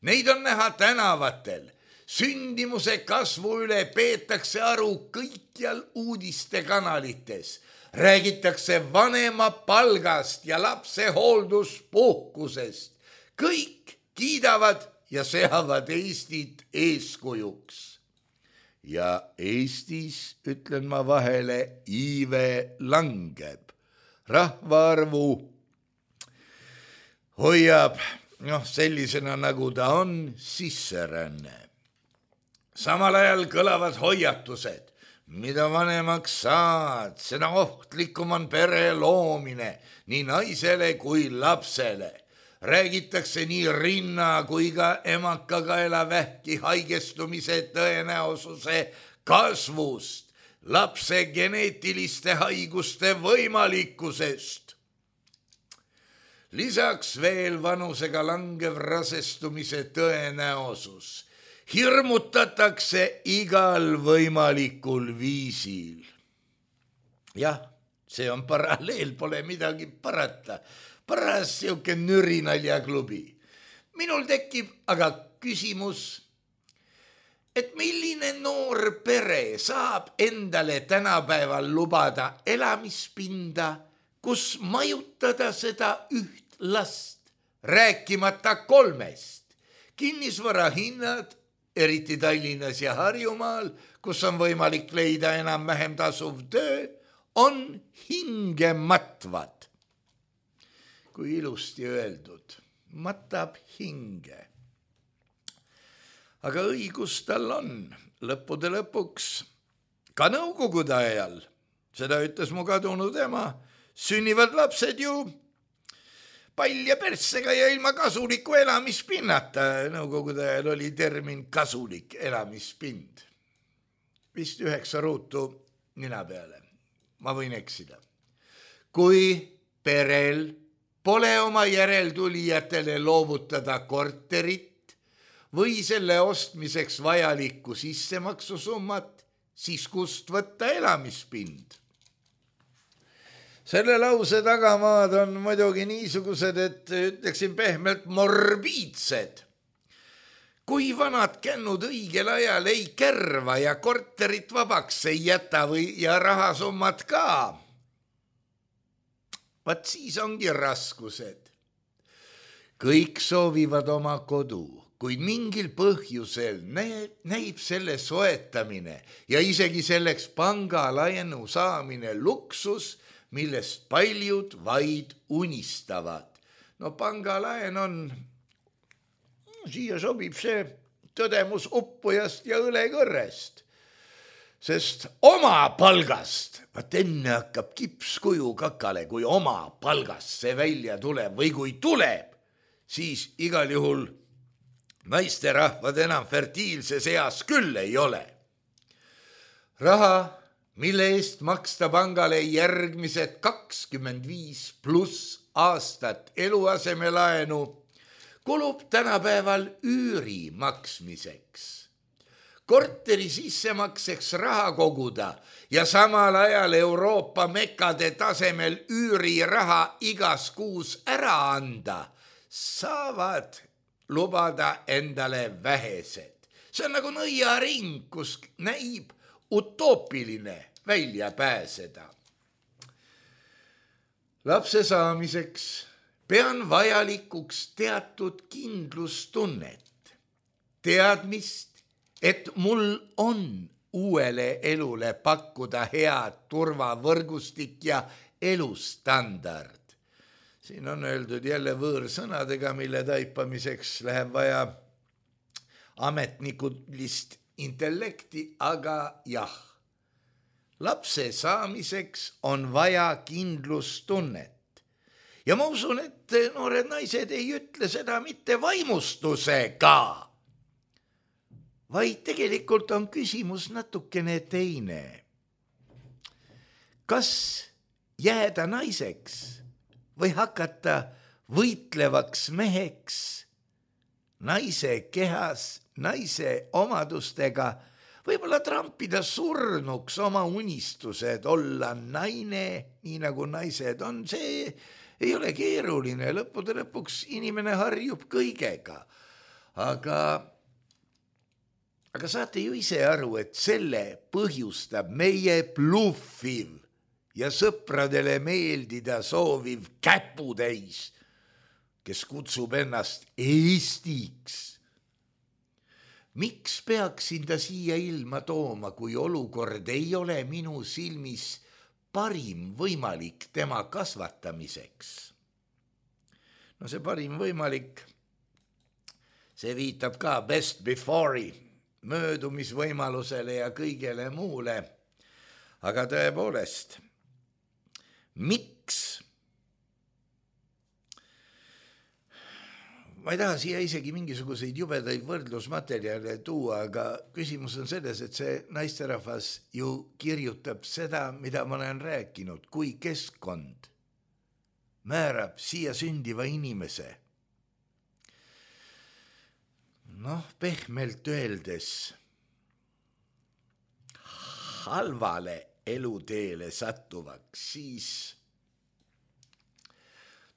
S3: Neid on näha tänavatel. Sündimuse kasvu üle peetakse aru kõikjal uudistekanalites. Räägitakse vanema palgast ja lapse hoolduspuhkusest. Kõik kiidavad ja seavad Eestit eeskujuks. Ja Eestis, ütlen ma vahele, iive langeb. Rahvaarvu hoiab, noh, sellisena nagu ta on, sisseränne. Samal ajal kõlavad hoiatused, mida vanemaks saad, seda ohtlikum on pere loomine nii naisele kui lapsele. Räägitakse nii rinna kui ka emakakaela vähki haigestumise tõenäosuse kasvust, lapse geneetiliste haiguste võimalikkusest. Lisaks veel vanusega langev rasestumise tõenäosus. Hirmutatakse igal võimalikul viisil. Jah, see on paralleel, pole midagi parata. Paras siuke nürinaljaklubi. Minul tekib aga küsimus, et milline noor pere saab endale tänapäeval lubada elamispinda, kus majutada seda üht last, rääkimata kolmest. Kinnisvara hinnad, eriti Tallinnas ja Harjumaal, kus on võimalik leida enam-vähem tasuv töö, on hingematvad. Kui ilusti öeldud, matab hinge. Aga õigus tal on, lõppude lõpuks, ka nõukogude ajal, seda ütles mu kadunud ema, sünnivad lapsed ju palja perssega ja ilma kasuliku elamispinnata. Nõukogude ajal oli termin kasulik elamispind. Vist üheksa ruutu nina peale. Ma võin eksida. Kui perel pole oma järeltulijatele loovutada korterit või selle ostmiseks vajalikku sissemaksusummat, siis kust võtta elamispind? Selle lause tagamaad on muidugi niisugused, et ütleksin pehmelt morbiidsed. Kui vanad kännud õigel ajal ei kärva ja korterit vabaks ei jäta või ja rahasummat ka, vaat siis ongi raskused. Kõik soovivad oma kodu, kuid mingil põhjusel näib selle soetamine ja isegi selleks pangalaenu saamine luksus, millest paljud vaid unistavad. No pangalaen on, siia sobib see tõdemus uppujast ja õlekõrrest, sest oma palgast, vaat enne hakkab kipskuju kakale, kui oma palgast see välja tuleb või kui tuleb, siis igal juhul naisterahvad enam fertiilses eas küll ei ole. Raha, mille eest maksta pangale järgmised kakskümmend viis pluss aastat eluasemelaenu, kulub tänapäeval üüri maksmiseks. Korteri sissemakseks raha koguda ja samal ajal Euroopa mekade tasemel üüriraha igas kuus ära anda, saavad lubada endale vähesed. See on nagu nõiaring, kus näib utoopiline välja pääseda. Lapse saamiseks pean vajalikuks teatud kindlustunnet, teadmist, et mul on uuele elule pakkuda head turvavõrgustik ja elustandard. Siin on öeldud jälle võõrsõnadega, mille taipamiseks läheb vaja ametnikulist intellekti, aga jah, lapse saamiseks on vaja kindlustunnet. Ja ma usun, et noored naised ei ütle seda mitte vaimustusega, vaid tegelikult on küsimus natukene teine. Kas jääda naiseks või hakata võitlevaks meheks naise kehas, naise omadustega, võib-olla trampida surnuks oma unistused, olla naine, nii nagu naised on, see ei ole keeruline, lõppude lõpuks inimene harjub kõigega. Aga, aga saate ju ise aru, et selle põhjustab meie bluffiv ja sõpradele meeldida sooviv käputäis, kes kutsub ennast Eestiks. Miks peaksin ta siia ilma tooma, kui olukord ei ole minu silmis parim võimalik tema kasvatamiseks? No see parim võimalik, see viitab ka best before'i, möödumisvõimalusele ja kõigele muule. Aga tõepoolest, miks? Ma ei taha siia isegi mingisuguseid jubedaid võrdlusmaterjale tuua, aga küsimus on selles, et see naisterahvas ju kirjutab seda, mida ma olen rääkinud, kui keskkond määrab siia sündiva inimese. Noh, pehmelt öeldes halvale eluteele sattuvaks, siis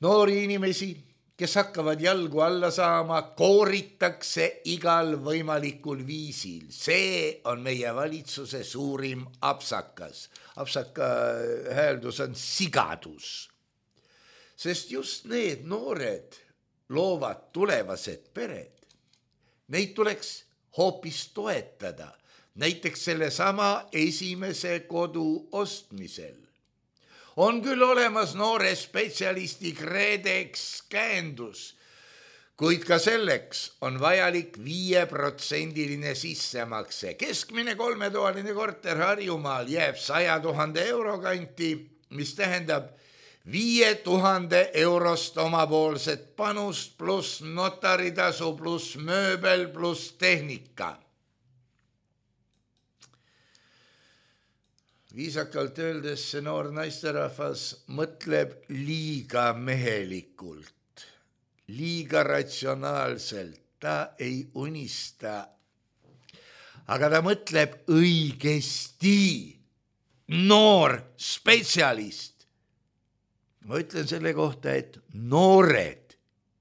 S3: noori inimesi, kes hakkavad jalgu alla saama, kooritakse igal võimalikul viisil. See on meie valitsuse suurim apsakas. Apsaka hääldus on sigadus. Sest just need noored loovad tulevased pered. Neid tuleks hoopis toetada. Näiteks selle sama esimese kodu ostmisel. On küll olemas noore spetsialisti KredEx käendus, kuid ka selleks on vajalik viieprotsendiline sissemakse. Keskmine kolmetoaline korter Harjumaal jääb saja tuhande euro kanti, mis tähendab viie tuhande eurost omapoolset panust pluss notaritasu pluss mööbel pluss tehnika. viisakalt öeldes see noor naisterahvas mõtleb liiga mehelikult, liiga ratsionaalselt, ta ei unista, aga ta mõtleb õigesti, noor spetsialist. Ma ütlen selle kohta, et noored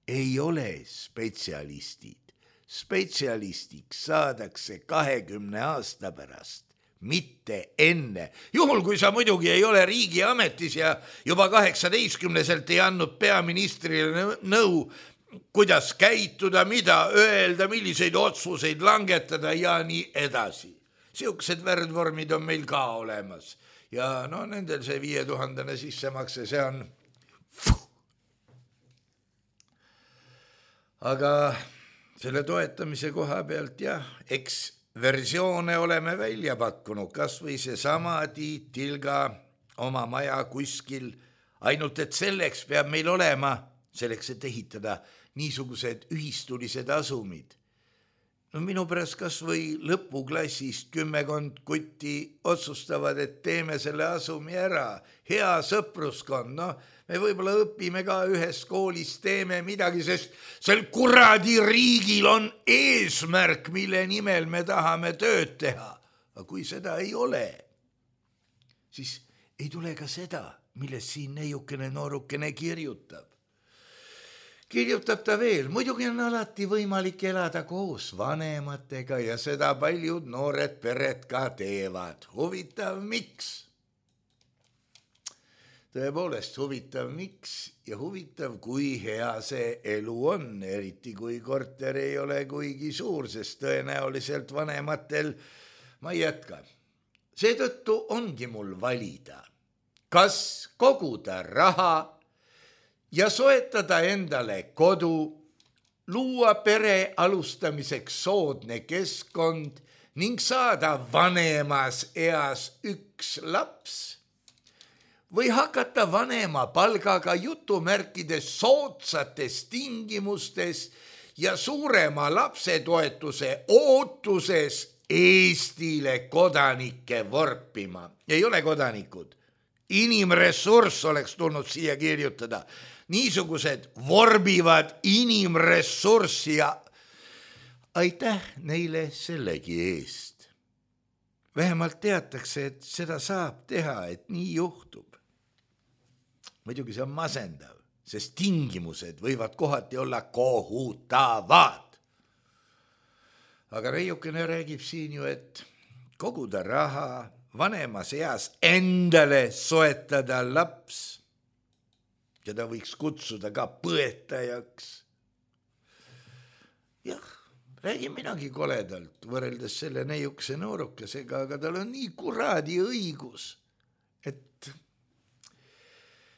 S3: ei ole spetsialistid. Spetsialistiks saadakse kahekümne aasta pärast, mitte enne. Juhul, kui sa muidugi ei ole riigiametis ja juba kaheksateistkümneselt ei andnud peaministrile nõu, kuidas käituda, mida öelda, milliseid otsuseid langetada ja nii edasi. Siuksed värdvormid on meil ka olemas. Ja no nendel see viie tuhandene sissemakse, see on fuh. Aga selle toetamise koha pealt jah, eks versioone oleme välja pakkunud, kas või see sama Tiit Tilga oma maja kuskil, ainult et selleks peab meil olema, selleks et ehitada niisugused ühistulised asumid. No minu pärast kas või lõpuklassist kümmekond kutti otsustavad, et teeme selle asumi ära. Hea sõpruskond, no me võib-olla õpime ka ühes koolis, teeme midagi, sest sel kuradi riigil on eesmärk, mille nimel me tahame tööd teha. Aga kui seda ei ole, siis ei tule ka seda, millest siin neiukene noorukene kirjutab. Kirjutab ta veel, muidugi on alati võimalik elada koos vanematega ja seda paljud noored pered ka teevad. Huvitav miks? Tõepoolest huvitav miks ja huvitav, kui hea see elu on, eriti kui korter ei ole kuigi suur, sest tõenäoliselt vanematel ma ei jätka. Seetõttu ongi mul valida, kas koguda raha ja soetada endale kodu, luua pere alustamiseks soodne keskkond ning saada vanemas eas üks laps või hakata vanema palgaga jutumärkides soodsates tingimustes ja suurema lapsetoetuse ootuses Eestile kodanikke vorpima. Ei ole kodanikud. Inimressurss oleks tulnud siia kirjutada. Niisugused vorbivad inimressurssi ja aitäh neile sellegi eest. Vähemalt teatakse, et seda saab teha, et nii juhtub. Muidugi see on masendav, sest tingimused võivad kohati olla kohutavad. Aga reiukene räägib siin ju, et koguda raha, vanemas eas endale soetada laps, keda võiks kutsuda ka põetajaks. Jah, räägin minagi koledalt võrreldes selle neiukese noorukesega, aga tal on nii kuradi õigus, et,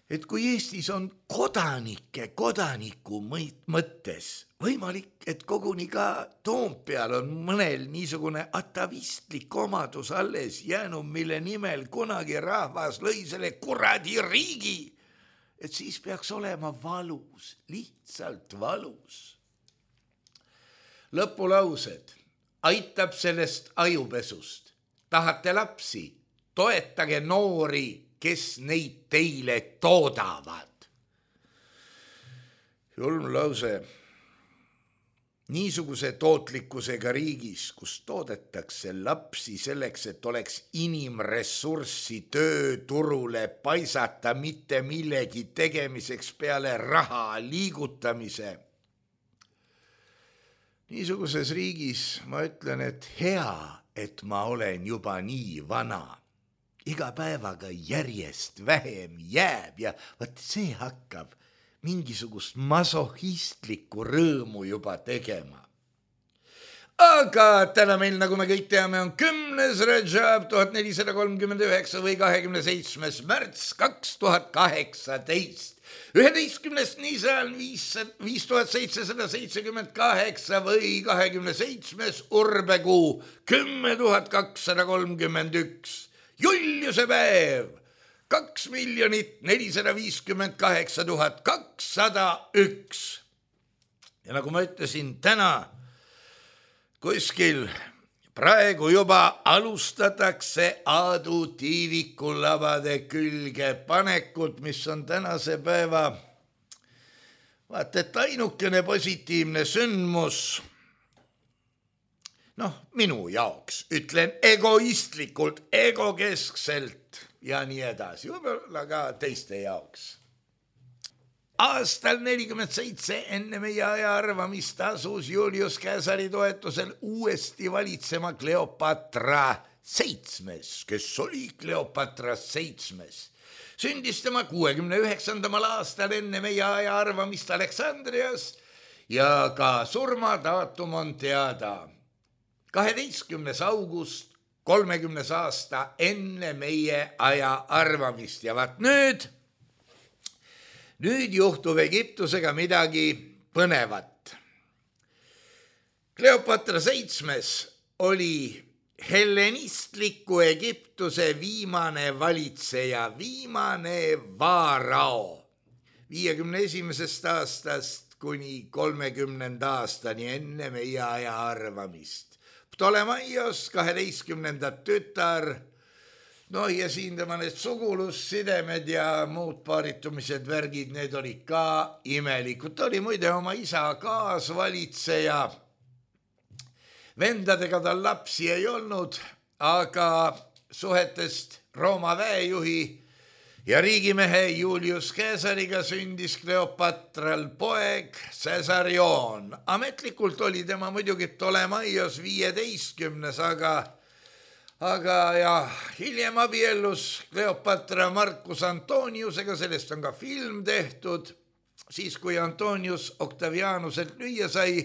S3: et kui Eestis on kodanike kodaniku mõttes võimalik, et koguni ka Toompeal on mõnel niisugune atavistlik omadus alles jäänud, mille nimel kunagi rahvas lõi selle kuradi riigi, et siis peaks olema valus, lihtsalt valus. Lõpulaused, aitab sellest ajupesust. Tahate lapsi, toetage noori, kes neid teile toodavad. Julm lause. Niisuguse tootlikkusega riigis, kus toodetakse lapsi selleks, et oleks inimressurssi tööturule paisata mitte millegi tegemiseks peale raha liigutamise. Niisuguses riigis ma ütlen, et hea, et ma olen juba nii vana. Iga päevaga järjest vähem jääb ja võt see hakkab mingisugust masohistlikku rõõmu juba tegema. Aga täna meil, nagu me kõik teame, on kümnes Rajab tuhat nelisada kolmkümmend üheksa või kahekümne seitsmes märts kaks tuhat kaheksateist. üheteistkümnes Nisan viis tuhat seitsesada seitsekümmend kaheksa või kahekümne seitsmes Urbekuu kümme tuhat kakssada kolmkümmend üks. Juliuse päev kaks miljonit nelisada viiskümmend kaheksa tuhat kakssada üks. Ja nagu ma ütlesin, täna kuskil praegu juba alustatakse Aadu Tiiviku labade külge panekut, mis on tänase päeva vaata, et ainukene positiivne sündmus, noh, minu jaoks, ütlen egoistlikult, egokeskselt ja nii edasi, võib-olla ka teiste jaoks. Aastal nelikümmend seitse enne meie aja arvamist asus Julius Caesari toetusel uuesti valitsema Kleopatra seitsmes, kes oli Kleopatra seitsmes. Sündis tema kuuekümne üheksandamal aastal enne meie aja arvamist Aleksandrias ja ka surmadaatum on teada. kaheteistkümnes august, kolmekümnes aasta enne meie aja arvamist ja vaat nüüd, nüüd juhtub Egiptusega midagi põnevat. Kleopatra seitsmes oli hellenistliku Egiptuse viimane valitseja, viimane vaarao, viiekümne esimesest aastast kuni kolmekümnenda aastani enne meie aja arvamist. Ptolemaios kaheteistkümnenda tütar, no ja siin tema need sugulussidemed ja muud paaritumised, värgid, need olid ka imelikud. Ta oli muide oma isa kaasvalitseja. Vendadega tal lapsi ei olnud, aga suhetest Rooma väejuhi ja riigimehe Julius Caesariga sündis Kleopatral poeg Caesarion. Ametlikult oli tema muidugi Ptolemaios viieteistkümnes, aga, aga ja hiljem abiellus Kleopatra Marcus Antoniusega, sellest on ka film tehtud. Siis kui Antonius Octavianuselt lüüa sai,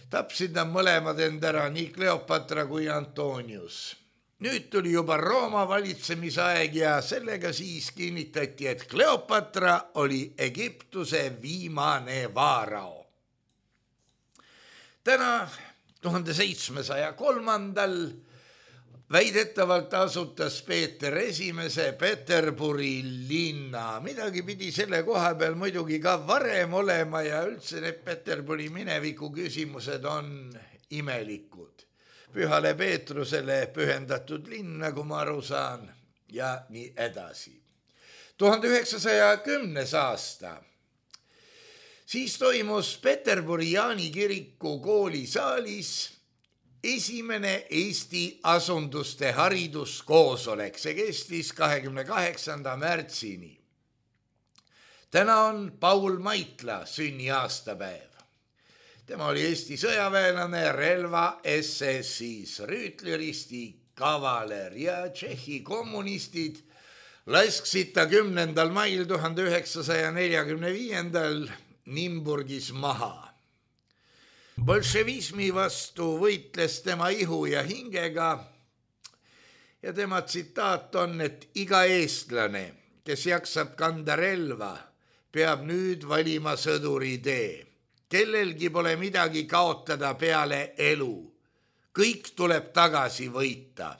S3: tapsid nad mõlemad end ära, nii Kleopatra kui Antonius. Nüüd tuli juba Rooma valitsemisaeg ja sellega siis kinnitati, et Kleopatra oli Egiptuse viimane vaarao. Täna tuhande seitsmesaja kolmandal väidetavalt asutas Peeter Esimese Peterburi linna. Midagi pidi selle koha peal muidugi ka varem olema ja üldse need Peterburi mineviku küsimused on imelikud. Pühale Peetrusele pühendatud linn, nagu ma aru saan, ja nii edasi. tuhande üheksasaja kümnes aasta. Siis toimus Peterburi Jaani kiriku koolisaalis esimene Eesti asunduste hariduskoosolek. See kestis kahekümne kaheksanda märtsini. Täna on Paul Maitla sünniaastapäev. Tema oli Eesti sõjaväelane, relva S S-is, rüütleristi, kavaler ja Tšehhi kommunistid lasksid ta kümnendal mail tuhande üheksasaja neljakümne viiendal Nimburgis maha. Bolševismi vastu võitles tema ihu ja hingega ja tema tsitaat on, et iga eestlane, kes jaksab kanda relva, peab nüüd valima sõduri tee. Kellelgi pole midagi kaotada peale elu. Kõik tuleb tagasi võita.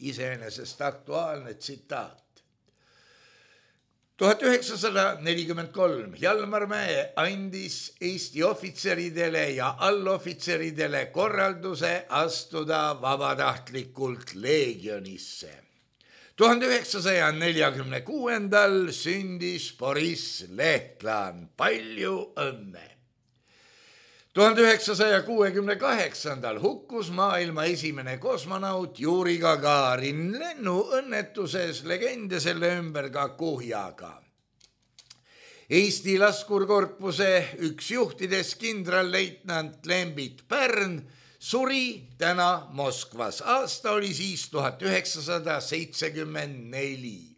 S3: Iseenesest aktuaalne tsitaat. tuhat üheksasada nelikümmend kolm Jalmar Mäe andis Eesti ohvitseridele ja allohvitseridele korralduse astuda vabatahtlikult leegionisse. tuhande üheksasaja neljakümne kuuendal sündis Boris Lehtlan. Palju õnne! tuhande üheksasaja kuuekümne kaheksandal hukkus maailma esimene kosmonaut Juri Gagarin lennuõnnetuses, legende selle ümber ka kuhjaga. Eesti laskurkorpuse üks juhtides kindralleitnant Lembit Pärn suri täna Moskvas. Aasta oli siis tuhat üheksasada seitsekümmend neli.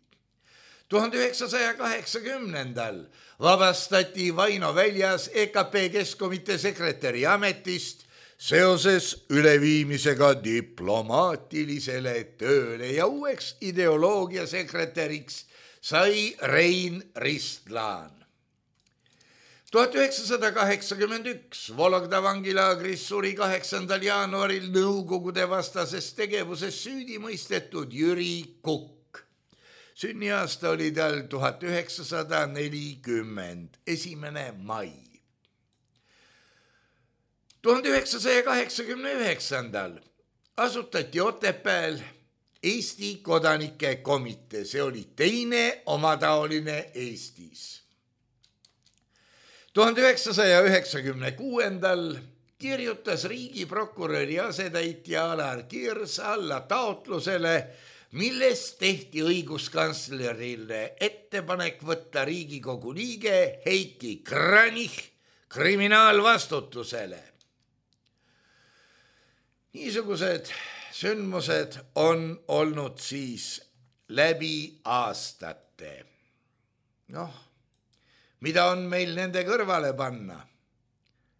S3: tuhande üheksasaja kaheksakümnendal vabastati Vaino väljas E K P Keskkomitee sekretäri ametist seoses üleviimisega diplomaatilisele tööle ja uueks ideoloogia sekretäriks sai Rein Ristlaan. tuhat üheksasada kaheksakümmend üks Vologda vangilaagris suri kaheksandal jaanuaril nõukogude vastases tegevuses süüdi mõistetud Jüri Kukk. Sünniaasta oli tal tuhat üheksasada nelikümmend, esimene mai. tuhande üheksasaja kaheksakümne üheksandal asutati Otepääl Eesti kodanike komitee, see oli teine omataoline Eestis. tuhande üheksasaja üheksakümne kuuendal kirjutas riigiprokuröri asetäitja Alar Kirs alla taotlusele, milles tehti õiguskantslerile ettepanek võtta Riigikogu liige Heiki Kranich kriminaalvastutusele. Niisugused sündmused on olnud siis läbi aastate. Noh, mida on meil nende kõrvale panna?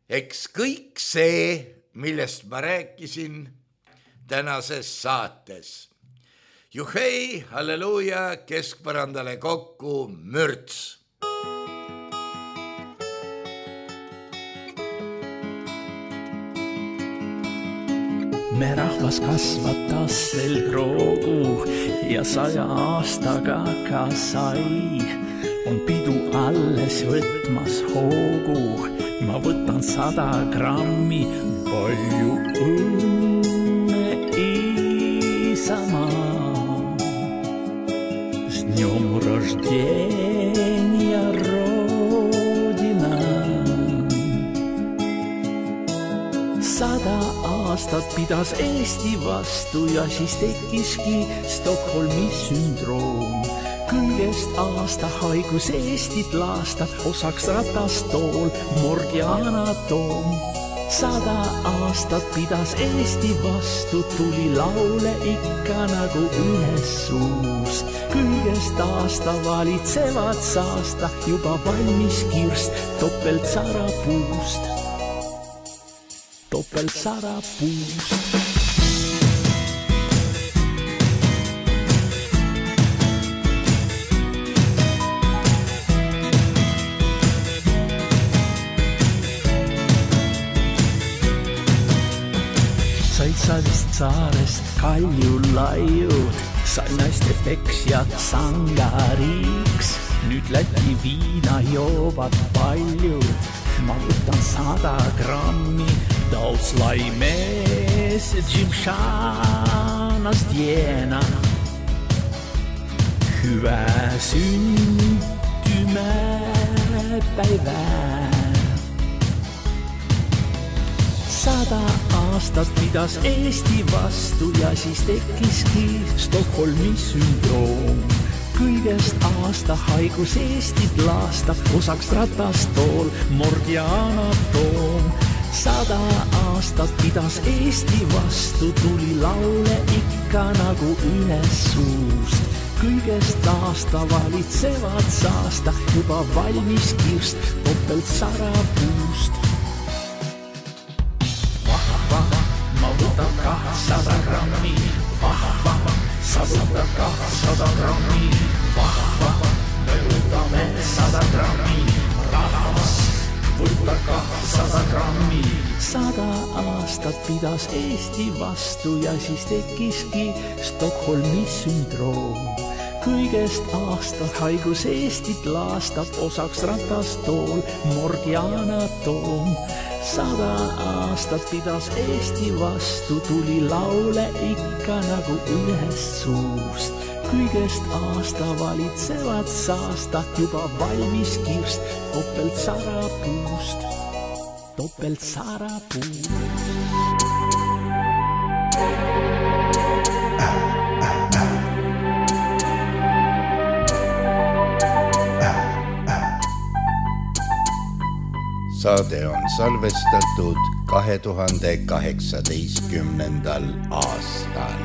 S3: Eks kõik see, millest ma rääkisin tänases saates. Juhei, halleluuja, keskpõrandale kokku mürts.
S4: Me rahvas kasvatas selgroogu ja saja aastaga ka sai. On pidu alles võtmas hoogu, ma võtan sada grammi, palju õnne Isamaa. С днем рождения, Родина. Sada aastat pidas Eesti vastu ja siis tekkiski Stockholmi sündroom. Kõigest aasta haigus Eestit laastab, osaks ratastool, morgi anatoom. Sada aastat pidas Eesti vastu, tuli laule ikka nagu ühes suus. Kõigest aasta valitsevad saasta, juba valmis kirst topelt sarapuust. Topelt sarapuust. Said sa vist saarest Kaljulaiud, sai naiste peksjad sangariiks. Nüüd Läti viina joovad paljud, ma võtan sada grammi. Tautslai mees Jimšanast jena. Hyvä syntymäpäivää. Sada aastat pidas Eesti vastu ja siis tekkiski Stockholmi sündroom. Kõigest aasta haigus Eestit laastab, osaks ratastool, morgi anatoom. Sada aastat pidas Eesti vastu, tuli laule ikka nagu ühes suust. Kõigest aasta valitsevad saasta, juba valmis kirst topelt sarapuust. Ma võtan kahsada grammi, vahva, sa võtad kahsada grammi, vahva, me võtame sada grammi, rahvas võtab kahsada grammi. Sada aastat pidas Eesti vastu ja siis tekkiski Stockholmi sündroom. Kõigest aastat haigus Eestit laastab, osaks ratastool, morgi anatoom. Sada aastat pidas Eesti vastu, tuli laule ikka nagu ühes suust. Kõigest aasta valitsevad saasta, juba valmis kirst topelt sarapuust. Topelt sarapuust.
S3: Saade on salvestatud kahe tuhande kaheksateistkümnendal aastal.